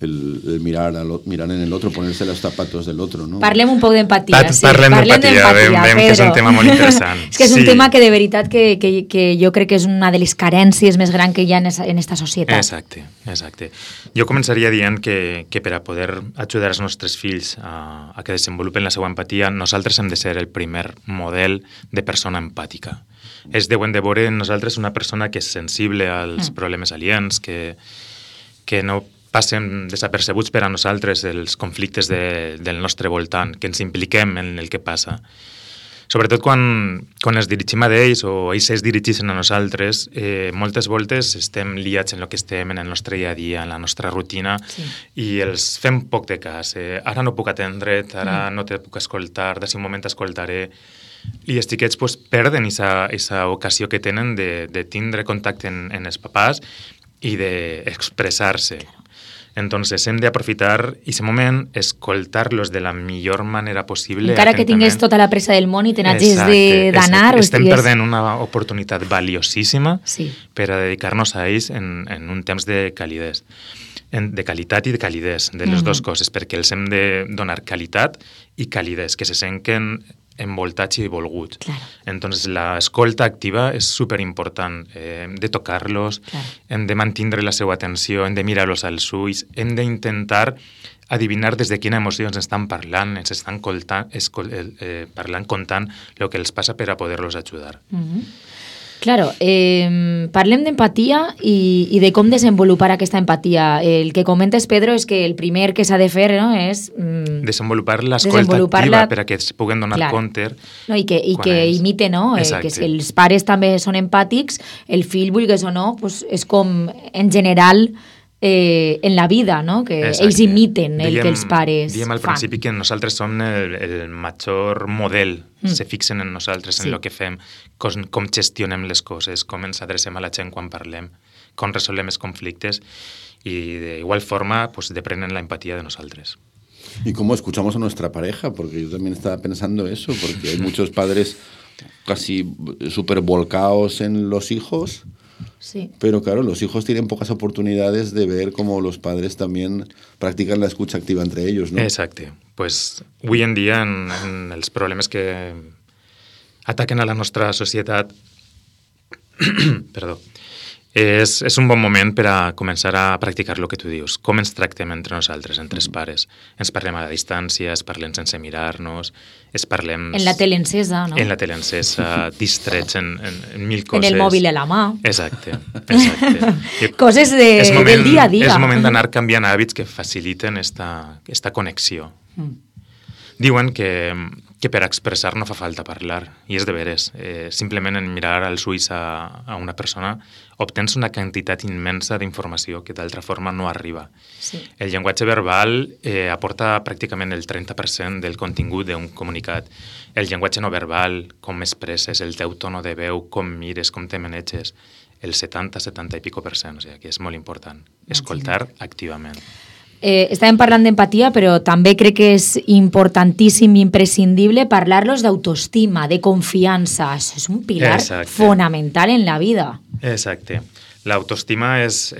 El mirar en el otro, ponerse los zapatos del otro, ¿no? Parlem un poc d'empatia, sí. Parlem d'empatia, que és un tema molt interessant. És que és un tema que de veritat que jo crec que és una de les carències més grans que hi ha en esta societat. Exacte. Jo començaria dient que per a poder ajudar els nostres fills a que desenvolupen la seva empatia, nosaltres hem de ser el primer model de persona empàtica. Es deuen de veure en nosaltres una persona que és sensible als problemes aliens, que no passen desapercebuts per a nosaltres els conflictes del nostre voltant, que ens impliquem en el que passa. Sobretot quan ens dirigim a ells o ells es dirigeixen a nosaltres, moltes voltes estem liats en el que estem, en el nostre dia a dia, en la nostra rutina, i els fem poc de cas. Ara no puc atendre't, ara no te puc escoltar, d'ací un moment t'escoltaré. I els xiquets perden aquesta ocasió que tenen de tindre contacte en els papàs i d'expressar-se. Entonces hem d'aprofitar aquest moment, escoltar-los de la millor manera possible. Encara que tingués tota la pressa del món i te n'hagis d'anar. Estem perdent una oportunitat valiosíssima per a dedicar-nos a ells en un temps de calidesa. De qualitat i de calidesa, de les dues coses, perquè els hem de donar qualitat i calidesa, que se senten envoltats i volguts. Claro. Entonces, l'escolta activa és superimportant. Hem de tocar-los, hem de mantenir la seva atenció, hem de mirar-los als ulls, hem d'intentar adivinar des de quina emoció ens estan parlant, ens estan contant el que els passa per a poder-los ajudar. Claro, parlem d'empatia i de com desenvolupar aquesta empatia. El que comentes, Pedro, és que el primer que s'ha de fer és... desenvolupar l'escolta activa per a que es puguen donar compte. I que imite, no? Que si els pares també són empàtics, el fill, vulguis o no, és com en general... en la vida, no? Que ells imiten el que els pares fan. Diem al principi que nosaltres som el major model, se fixen en nosaltres, en el que fem, com gestionem les coses, com ens adrecem a la gent quan parlem, com resolem els conflictes y de igual forma pues deprenden la empatía de nosotros. ¿Y cómo escuchamos a nuestra pareja? Porque yo también estaba pensando eso, porque hay muchos padres casi súper volcados en los hijos. Sí. Pero claro, los hijos tienen pocas oportunidades de ver cómo los padres también practican la escucha activa entre ellos, ¿no? Exacte. pues, avui en dia, en els problemes que ataquen a la nostra societat, perdó, és un bon moment per a començar a practicar el que tu dius. Com ens tractem entre nosaltres, entre els pares? Ens parlem a la distància, es parlem sense mirar-nos, es parlem... En la tele encesa, no? En la tele encesa, distrets en mil coses. En el mòbil a la mà. Exacte. Coses del dia a dia. És moment d'anar canviant hàbits que faciliten esta connexió. Diuen que per expressar no fa falta parlar, i és de veres. Simplement en mirar als ulls a una persona obtens una quantitat immensa d'informació que d'altra forma no arriba. Sí. El llenguatge verbal aporta pràcticament el 30% del contingut d'un comunicat. El llenguatge no verbal, com expresses, el teu tono de veu, com mires, com te maneges, el 70 i pico %, o sigui que és molt important. Escoltar activament. Estàvem parlant d'empatia, però també crec que és importantíssim i imprescindible parlar-los d'autoestima, de confiança. Això és un pilar fonamental en la vida. Exacte. L'autoestima és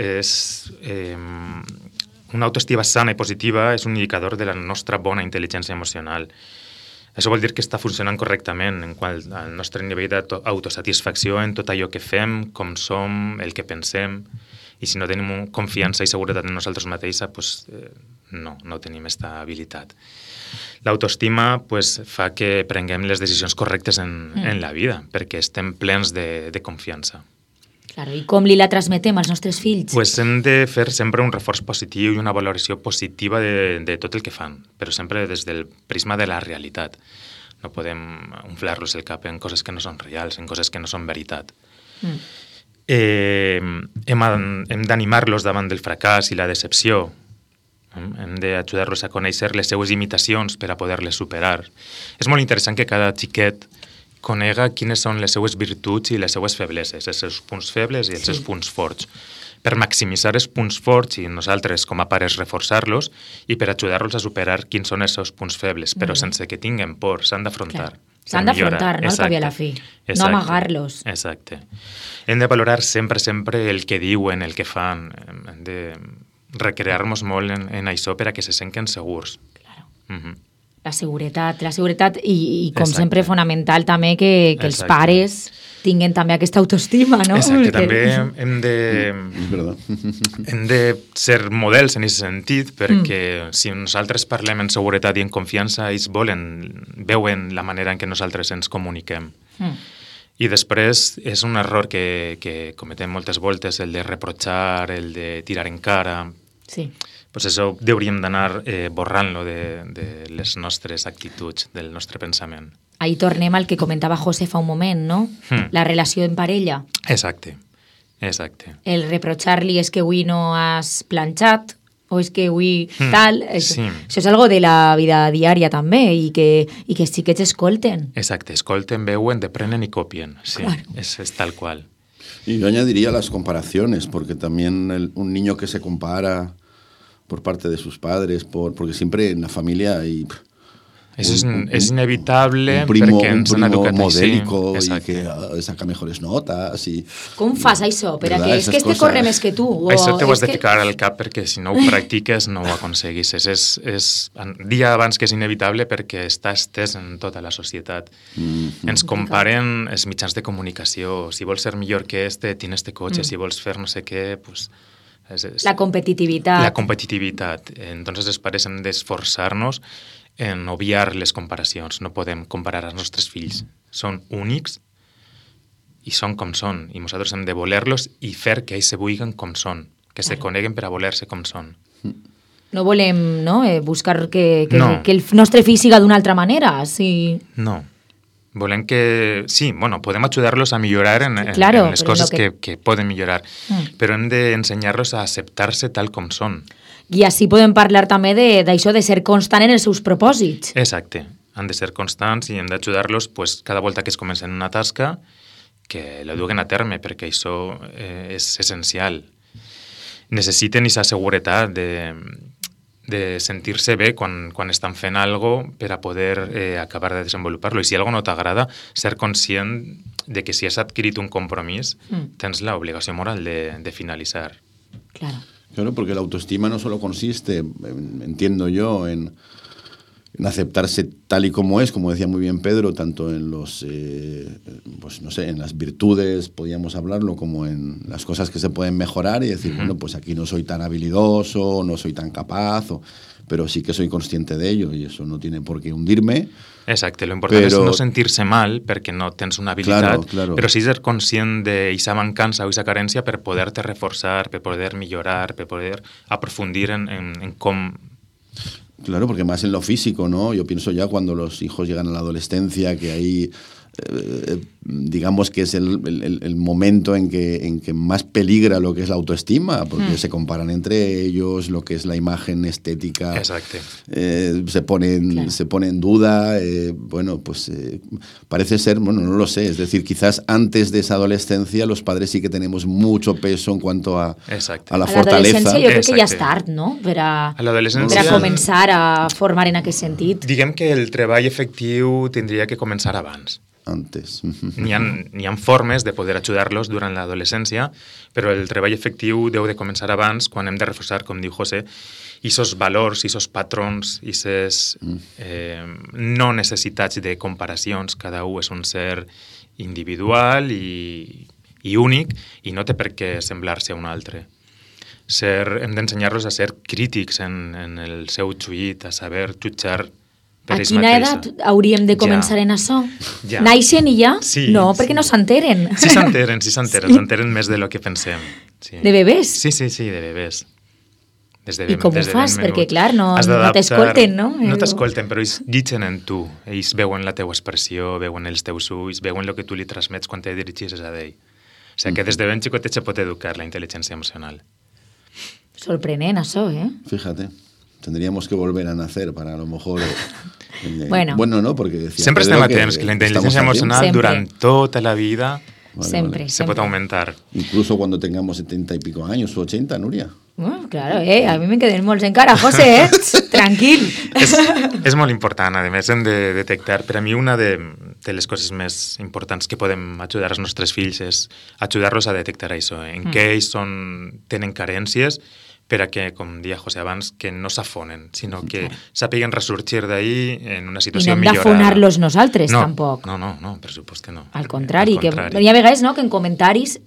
una autoestima sana i positiva, és un indicador de la nostra bona intel·ligència emocional. Això vol dir que està funcionant correctament en quant al nostre nivell d'autosatisfacció en tot allò que fem, com som, el que pensem. I si no tenim confiança i seguretat en nosaltres mateixos, pues, no tenim aquesta habilitat. L'autoestima fa que prenguem les decisions correctes en la vida, perquè estem plens de confiança. Claro, i com li la transmetem als nostres fills? Pues hem de fer sempre un reforç positiu i una valoració positiva de tot el que fan, però sempre des del prisma de la realitat. No podem inflar-los el cap en coses que no són reals, en coses que no són veritat. Hem d'animar-los davant del fracàs i la decepció. Hem d'ajudar-los a conèixer les seues imitacions per a poder-les superar. És molt interessant que cada xiquet conega quines són les seues virtuts i les seues febleses, els seus punts febles i els seus punts forts, per maximitzar els punts forts i nosaltres com a pares reforçar-los i per ajudar-los a superar quins són els seus punts febles, però sense que tinguem por, s'han d'afrontar. S'han d'afrontar, no? Al cap i a la fi. No amagar-los. Exacte. Hem de valorar sempre el que diuen, el que fan. Hem de recrear-nos molt en això per a que se senten segurs. Claro. La seguretat i com sempre fonamental també que els pares tinguin també aquesta autoestima, no? Exacte, també hem de ser models en aquest sentit, perquè si nosaltres parlem en seguretat i en confiança, ells veuen la manera en què nosaltres ens comuniquem. I després és un error que cometem moltes voltes, el de reprochar, el de tirar en cara. Sí. Pues això hauríem d'anar borrant-lo de les nostres actituds, del nostre pensament. Ahí tornem al que comentava José fa un moment, no? La relació en parella. Exacte. El reprochar-li és que avui no has planxat o és que avui tal. Això és algo de la vida diària també i que els xiquets escolten. Exacte, escolten, veuen, deprenen y copien. Sí, claro. Es tal cual. Y yo añadiría las comparaciones, porque también un niño que se compara por parte de sus padres, porque siempre en la familia hay... Es inevitable un primo modélico y que saca mejores notas. Com fas això? Per a que és que este corre més que tu? Això t'ho has de ficar al cap perquè si no ho practiques no ho aconseguis. És dia abans que és inevitable perquè està estès en tota la societat. Ens comparen els mitjans de comunicació. Si vols ser millor que tienes este cotxe. Si vols fer no sé què, pues... La competitivitat. La competitivitat. Entonces els pares hem d'esforçar-nos en obviar les comparacions. No podem comparar els nostres fills. Són únics i són com són. I nosaltres hem de voler-los i fer que ells se vulguin com són. Que se coneguen per a voler-se com són. No volem buscar que el nostre fill siga d'una altra manera. No. Volem que... Sí, podem ajudar-los a millorar en les coses que poden millorar. Però hem d'ensenyar-los a acceptar-se tal com són. I així podem parlar també d'això de ser constant en els seus propòsits. Exacte. Han de ser constants i hem d'ajudar-los cada volta que es comencen una tasca que la duguen a terme, perquè això és essencial. Necessiten aquesta seguretat de sentir-se bé quan estan fent alguna cosa per a poder acabar de desenvolupar-lo. I si alguna cosa no t'agrada, ser conscient de que si has adquirit un compromís, tens l'obligació moral de finalitzar. Claro. Claro, porque la autoestima no solo consiste, entiendo yo, en en aceptarse tal y como es, como decía muy bien Pedro, tanto en los, pues no sé, en las virtudes, podríamos hablarlo, como en las cosas que se pueden mejorar y decir, bueno, pues aquí no soy tan habilidoso, no soy tan capaz, pero sí que soy consciente de ello y eso no tiene por qué hundirme. Exacte, lo important és no sentir-se mal perquè no tens una habilitat, però sí ser conscient d'aquesta mancança o aquesta carència per poder-te reforçar, per poder millorar, per poder aprofundir en com... Claro, porque más en lo físico, ¿no? Yo pienso ya cuando los hijos llegan a la adolescencia, que ahí digamos que es el momento en que más peligra lo que es la autoestima, porque se comparan entre ellos, lo que es la imagen estética se pone en duda, bueno, pues parece ser, bueno, no lo sé, es decir, quizás antes de esa adolescencia los padres sí que tenemos mucho peso en cuanto a la fortaleza. Yo creo que ja és tard, no?, per a començar a formar en aquest sentit. Diguem que el treball efectiu tindria que començar abans. Antes. N'hi ha formes de poder ajudar-los durant l'adolescència, però el treball efectiu deu de començar abans, quan hem de reforçar, com diu José, aquests valors, aquests patrons, aquestes no necessitats de comparacions. Cada un és un ser individual i únic i no té per què semblar-se a un altre. Hem d'ensenyar-los a ser crítics en el seu juit, a saber jutjar. A quina edat hauríem de començar en això? Naixen i ja? No, perquè no s'enteren. Sí s'enteren més de lo que pensem. De bebès? Sí, de bebès. I com ho fas? Perquè, clar, no t'escolten, no? No t'escolten, però ells llitgen en tu. Ells veuen la teua expressió, veuen els teus ulls, veuen el que tu li transmets quan te dirigis a ell. O sigui que des de ben xicotet se pot educar la intel·ligència emocional. Sorprenent, això, ¿eh? Fíjate. Tendríamos que volver a nacer para a lo mejor... Bueno, no, porque decía... Sempre estem a temps, que la intel·ligència emocional durant tota la vida se pot augmentar. Incluso cuando tengamos 70 y pico años o 80, Núria. Claro, a mi me'n queden molts encara, José, tranquil. És molt important, a més hem de detectar. Per a mi una de les coses més importants que podem ajudar als nostres fills és ajudar-los a detectar això, en què ells tenen carències, per a que, com deia José abans, que no s'afonen, sinó que sàpiguen ressorgir d'ahir en una situació millorada. I no hem d'afonar-los nosaltres, tampoc. No, per supost que no. Al contrari, que hi ha vegades que en comentaris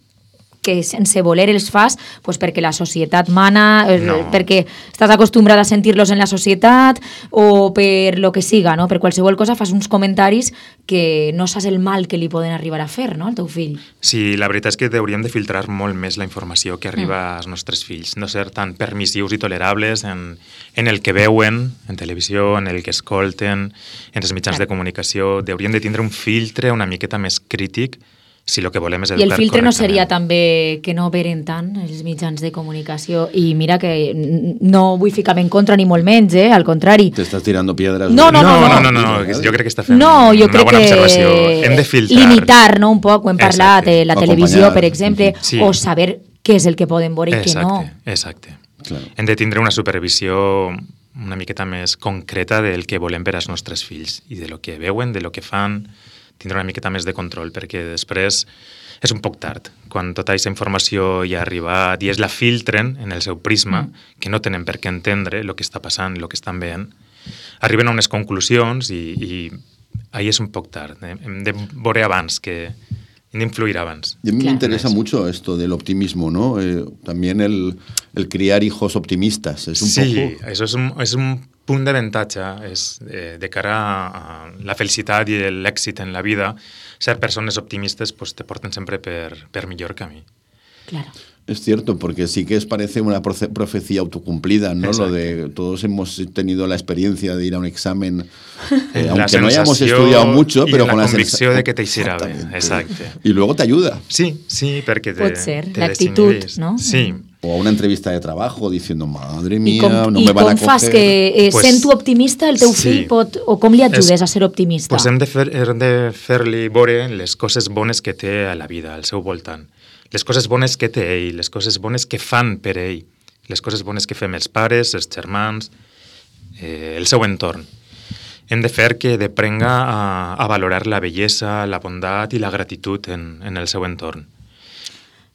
que sense voler els fas perquè la societat mana, perquè estàs acostumbrat a sentir-los en la societat o per lo que siga, no? Per qualsevol cosa fas uns comentaris que no saps el mal que li poden arribar a fer, no?, al teu fill. Sí, la veritat és que hauríem de filtrar molt més la informació que arriba als nostres fills, no ser tan permissius i tolerables en el que veuen, en televisió, en el que escolten, en els mitjans de comunicació. Hauríem de tindre un filtre una miqueta més crític si el que volem és educar correctament. I el filtre no seria també que no veren tant els mitjans de comunicació. I mira que no vull ficar-me en contra ni molt menys, al contrari. T'estàs tirando piedras. No, jo crec que està fent una bona observació. Hem de filtrar. Limitar, no?, un poc, ho hem parlat, la televisió, per exemple, o saber què és el que poden veure i què no. Exacte. Hem de tindre una supervisió una miqueta més concreta del que volem per als nostres fills i de lo que veuen, de lo que fan, tindre una miqueta més de control, perquè després és un poc tard. Quan tota aquesta informació ja ha arribat i es la filtren en el seu prisma, que no tenen per què entendre el que està passant, el que estan veient, arriben a unes conclusions i ahí és un poc tard. Hem de veure abans, que hem d'influir abans. Y a mí me interesa mucho esto del optimismo, ¿no? También el criar hijos optimistas. Es un poco... eso es un punt d'avantatge de cara a la felicitat i l'èxit en la vida. Ser persones optimistes te porten sempre per millor camí. Claro. Es cierto, porque sí que parece una profecía autocumplida, ¿no? Exacto. Lo de todos hemos tenido la experiencia de ir a un examen, aunque no hayamos estudiado mucho, pero con la convicció de que t'eixirà bé. Exacte. Y luego te ayuda. Sí, perquè pot ser, l'actitud, no? Sí. O a una entrevista de trabajo diciendo, madre mía, no me van a coger. I com fas que sent tu optimista el teu fill o com li ajudes a ser optimista? Hem de fer-li veure les coses bones que té a la vida, al seu voltant. Les coses bones que té ell, les coses bones que fan per ell, les coses bones que fem els pares, els germans, el seu entorn. Hem de fer que deprenga a valorar la bellesa, la bondat i la gratitud en el seu entorn.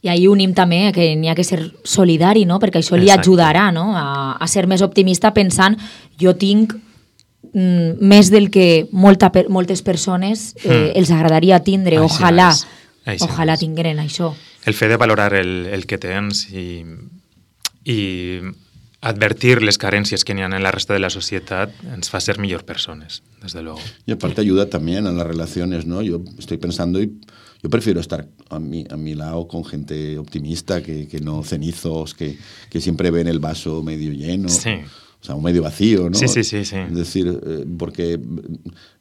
I ahir unim també que n'hi ha que ser solidari, no? Perquè això li ajudarà, no?, a ser més optimista pensant jo tinc més del que moltes persones els agradaria tindre. Ojalà tingueren això. El fet de valorar el que tens i advertir les carències que n'hi ha en la resta de la societat ens fa ser millor persones, desde luego. Y aparte ayuda también a las relaciones, ¿no? Yo estoy pensando y yo prefiero estar a mi lado con gente optimista que no cenizos, que siempre ven el vaso medio lleno. Sí. O sea, un medio vacío, ¿no? Sí. Es decir, porque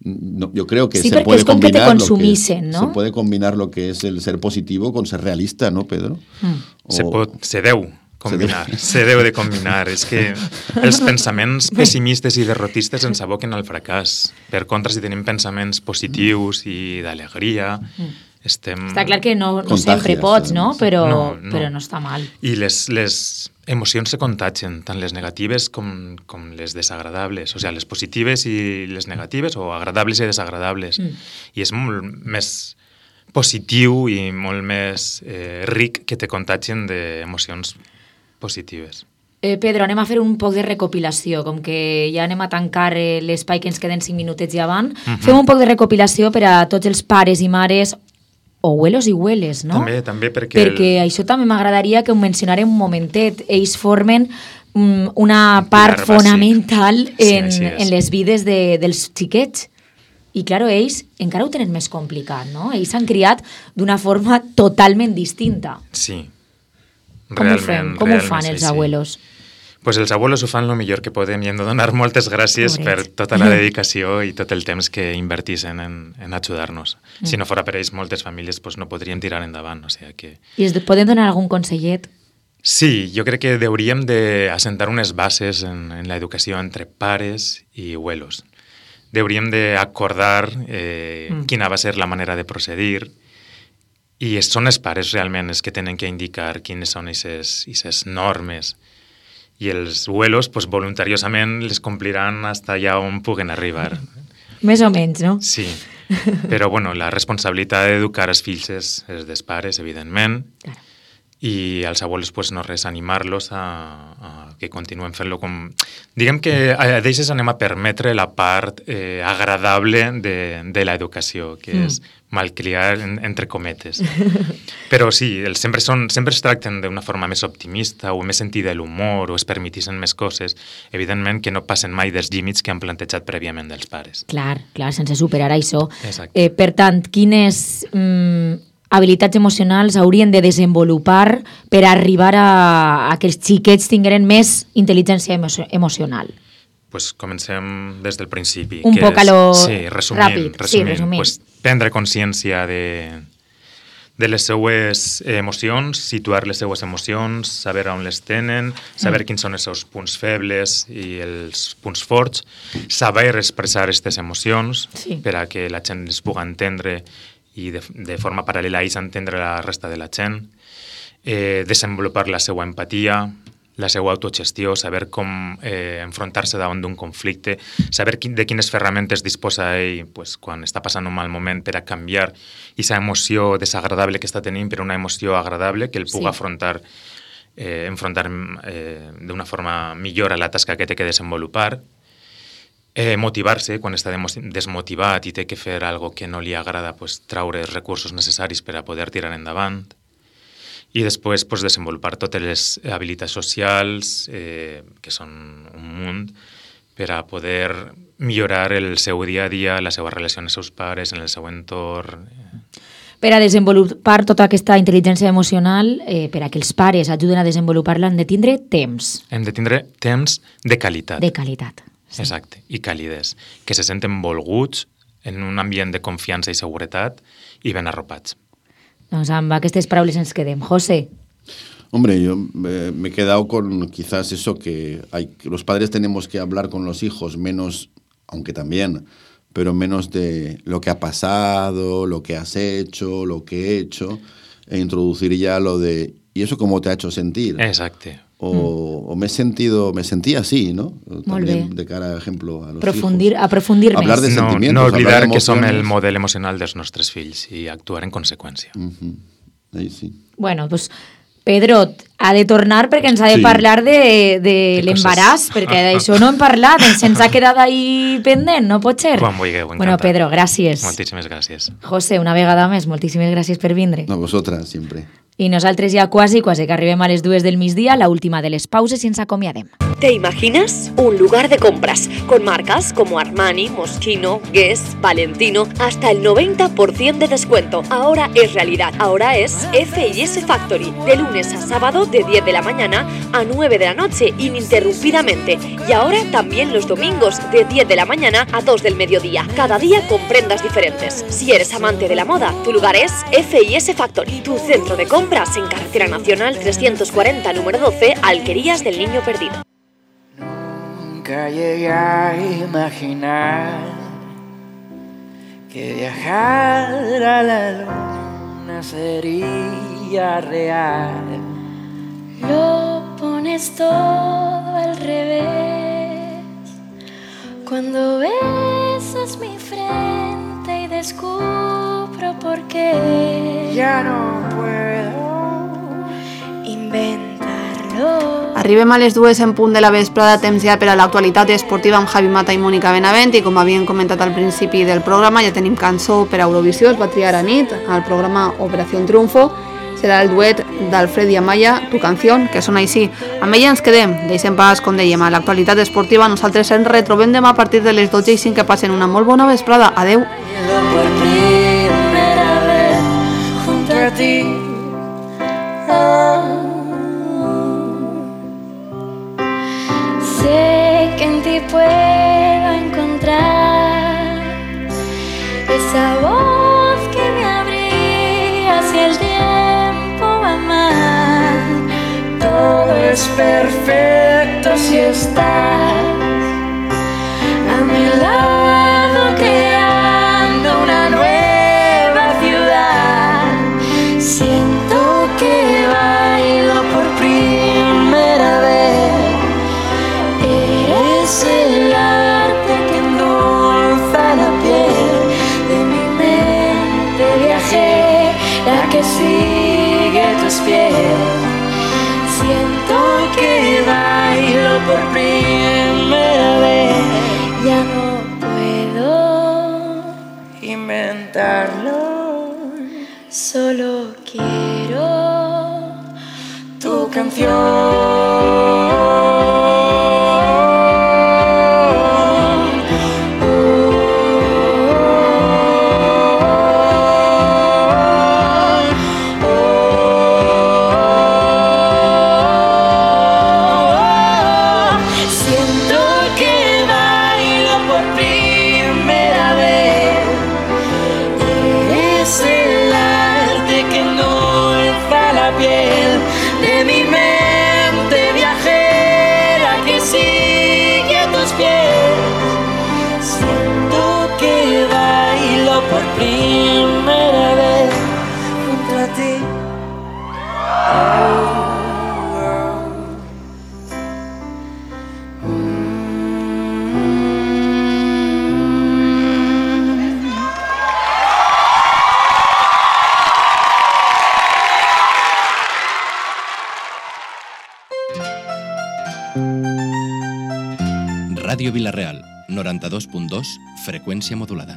yo creo que sí, se puede combinar que te consumisen, ¿no? Se puede combinar lo que es el ser positivo con ser realista, ¿no, Pedro? Se deu combinar, se deu de combinar. És que els pensaments pessimistes i derrotistes ens aboquen al fracàs. Per contra, si tenim pensaments positius i d'alegria, estem... Està clar que no sempre pots, no? Però no està mal. I les emocions se contagien, tant les negatives com les desagradables. O sigui, les positives i les negatives, o agradables i desagradables. I és molt més positiu i molt més ric que te contagien d'emocions positives. Pedro, anem a fer un poc de recopilació, com que ja anem a tancar l'espai que ens queden 5 minutets ja van. Fem un poc de recopilació per a tots els pares i mares, o abuelos i abueles, no? També, perquè això també m'agradaria que ho mencionarem un momentet. Ells formen una part fonamental en les vides dels xiquets. I, clar, ells encara ho tenen més complicat, no? Ells s'han criat d'una forma totalment distinta. Sí. Com ho fan els abuelos? Pues els abuelos ho fan el millor que poden i hem de donar moltes gràcies per tota la dedicació i tot el temps que inverteixen en ajudar-nos. Si no fora per ells, moltes famílies pues, no podrien tirar endavant. O sigui que... I es poden donar algun consellet? Sí, jo crec que hauríem d'assentar unes bases en l'educació entre pares i abuelos. Hauríem d'acordar quina va ser la manera de procedir. I són els pares realment els que tenen que indicar quines són aquestes normes. I els abuelos, pues, voluntariosament, les compliran fins allà on puguen arribar. Més o menys, no? Sí. Però, bueno, la responsabilitat d'educar els fills és dels pares, evidentment. Claro. I als abuelos, pues, no res, animar-los a que continuen fent-lo com... Diguem que a d'ells anem a permetre la part agradable de l'educació, que és malcriar entre cometes. Però sí, sempre es tracten d'una forma més optimista o més sentida de l'humor o es permetixen més coses, evidentment que no passen mai dels límits que han plantejat prèviament dels pares. Clar, sense superar això. Exacte. Per tant, quines habilitats emocionals haurien de desenvolupar per arribar a que els xiquets tingueren més intel·ligència emocional? Pues comencem des del principi. Un poc a lo ràpid. Resumint. Pues, prendre consciència de les seues emocions, situar les seues emocions, saber on les tenen, saber quins són els seus punts febles i els punts forts, saber expressar aquestes emocions per a que la gent les pugui entendre i de forma paral·lela a ells entendre la resta de la gent, desenvolupar la seva empatia, la seva autogestió, saber com enfrontar-se davant d'un conflicte, saber de quines ferramentes disposa ell pues, quan està passant un mal moment per a canviar aquesta emoció desagradable que està tenint per una emoció agradable que el pugui enfrontar d'una forma millor a la tasca que té que desenvolupar, motivar-se quan està desmotivat i té que fer alguna cosa que no li agrada, pues, traure els recursos necessaris per a poder tirar endavant. I després pues, desenvolupar totes les habilitats socials, que són un munt, per a poder millorar el seu dia a dia, la seva relació amb els seus pares, en el seu entorn. Per a desenvolupar tota aquesta intel·ligència emocional, per a que els pares ajuden a desenvolupar-la, han de tindre temps. Hem de tindre temps de qualitat. De qualitat. Sí. Exacte, i càlides, que se senten volguts en un ambient de confiança i seguretat i ben arropats. Doncs amb aquestes paraules ens quedem. José. Hombre, yo me he quedado con quizás eso que los padres tenemos que hablar con los hijos menos, aunque también, pero menos de lo que ha pasado, lo que has hecho, lo que he hecho, e introducir ya lo de ¿y eso cómo te ha hecho sentir? Exacto. O me sentí así, ¿no? También de cara a ejemplo a los hijos. Aprofundir més. Hablar de sentimientos. No oblidar que som el model emocional dels nostres fills i actuar en conseqüència. Ahí sí. Bueno, pues Pedro ha de tornar perquè ens ha de parlar de l'embaràs, perquè d'això no hem parlat, se'ns ha quedat ahí pendent, no pot ser? Quan vulgueu, encantat. Bueno, Pedro, gràcies. Moltíssimes gràcies. José, una vegada més, moltíssimes gràcies per vindre. A vosaltres, sempre. I nosaltres ja quasi que arribem a les 2 del migdia, la última de les pauses i ens acomiadem. ¿Te imaginas? Un lugar de compras con marcas como Armani, Moschino, Guess, Valentino, hasta el 90% de descuento. Ahora es realidad. Ahora es F&S Factory, de lunes a sábado de 10 de la mañana a 9 de la noche, ininterrumpidamente. Y ahora también los domingos de 10 de la mañana a 2 del mediodía. Cada día con prendas diferentes. Si eres amante de la moda, tu lugar es F&S Factory, tu centro de compras en Carretera Nacional 340, número 12, Alquerías del Niño Perdido. Nunca llegué a imaginar que viajar a la luna sería real. Lo pones todo al revés cuando besas mi frente y descubro por qué ya no puedo inventarlo. Arribem a les 2 en punt de la vesprada, temps ja per a l'actualitat esportiva amb Javi Mata i Mònica Benavent, i com havien comentat al principi del programa, ja tenim cançó per a Eurovisió, es va triar a nit al programa Operación Triunfo. Serà el duet d'Alfred i Amaya, Tu canción, que sona així. Amb ella ens quedem, deixem pas, com dèiem, a l'actualitat esportiva. Nosaltres ens retrobem demà a partir de les 12:05, que passen una molt bona vesprada. Adeu. Por primera vez junto a ti. Sé que en ti puedo encontrar esa voz que me abría hacia el tiempo va mal. Todo es perfecto si estás a mi lado, creando una nueva ciudad. Siento que bailo por primera vez. Eres el arte que endulza la piel de mi mente viajera que sigue tus pies. Siento que bailo por primera vez. Ya no puedo inventarlo, solo quiero tu canción. Por primera vez junto a ti. Ràdio Vila-real, 92.2, freqüència modulada.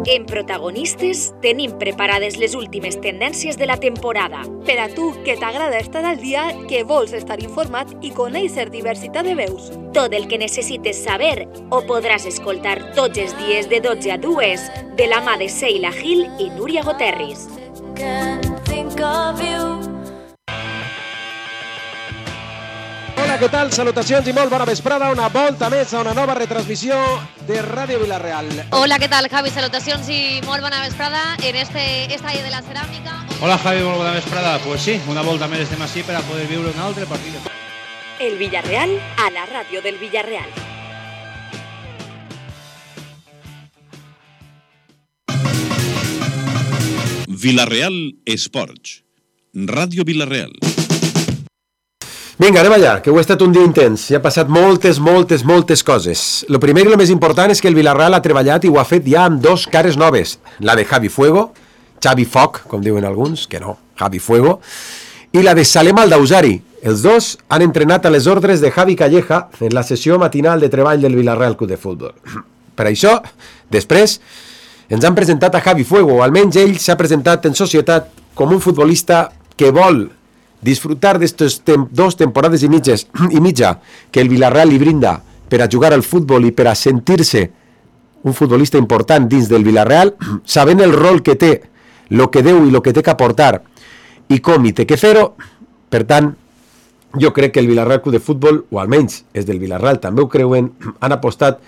En Protagonistes tenim preparades les últimes tendències de la temporada. Per a tu, que t'agrada estar al dia, que vols estar informat i conèixer diversitat de veus. Tot el que necessites saber ho podràs escoltar tots els dies de 12 a 2 de la mà de Seila Gil i Núria Goterris. Hola, què tal? Salutacions i molt bona vesprada. Una volta més a una nova retransmissió de Ràdio Vila-real. Hola, què tal, Javi? Salutacions i molt bona vesprada en este estadi de la ceràmica. Hola, Javi, molt bona vesprada. Pues sí, una volta més estem així per a poder viure un altre partit. El Villarreal a la ràdio del Villarreal. Vila-real Esports. Ràdio Vila-real. Vinga, anem allà, que ho ha estat un dia intens. Hi ha passat moltes coses. Lo primer i lo més important és que el Vila-real ha treballat i ho ha fet ja amb dos cares noves. La de Javi Fuego, Xavi Foc, com diuen alguns, que no, Javi Fuego, i la de Salem Aldausari. Els dos han entrenat a les ordres de Javi Calleja en la sessió matinal de treball del Villarreal Club de Futbol. Per això, després, ens han presentat a Javi Fuego, o almenys ell s'ha presentat en societat com un futbolista que vol disfrutar d'estes 2 temporades i mitja que el Villarreal li brinda per a jugar al futbol i per a sentir-se un futbolista important dins del Villarreal, sabent el rol que té, el que deu i el que té que aportar i com hi té que fer-ho. Per tant, jo crec que el Villarreal Club de Futbol, o almenys és del Villarreal, també ho creuen, han apostat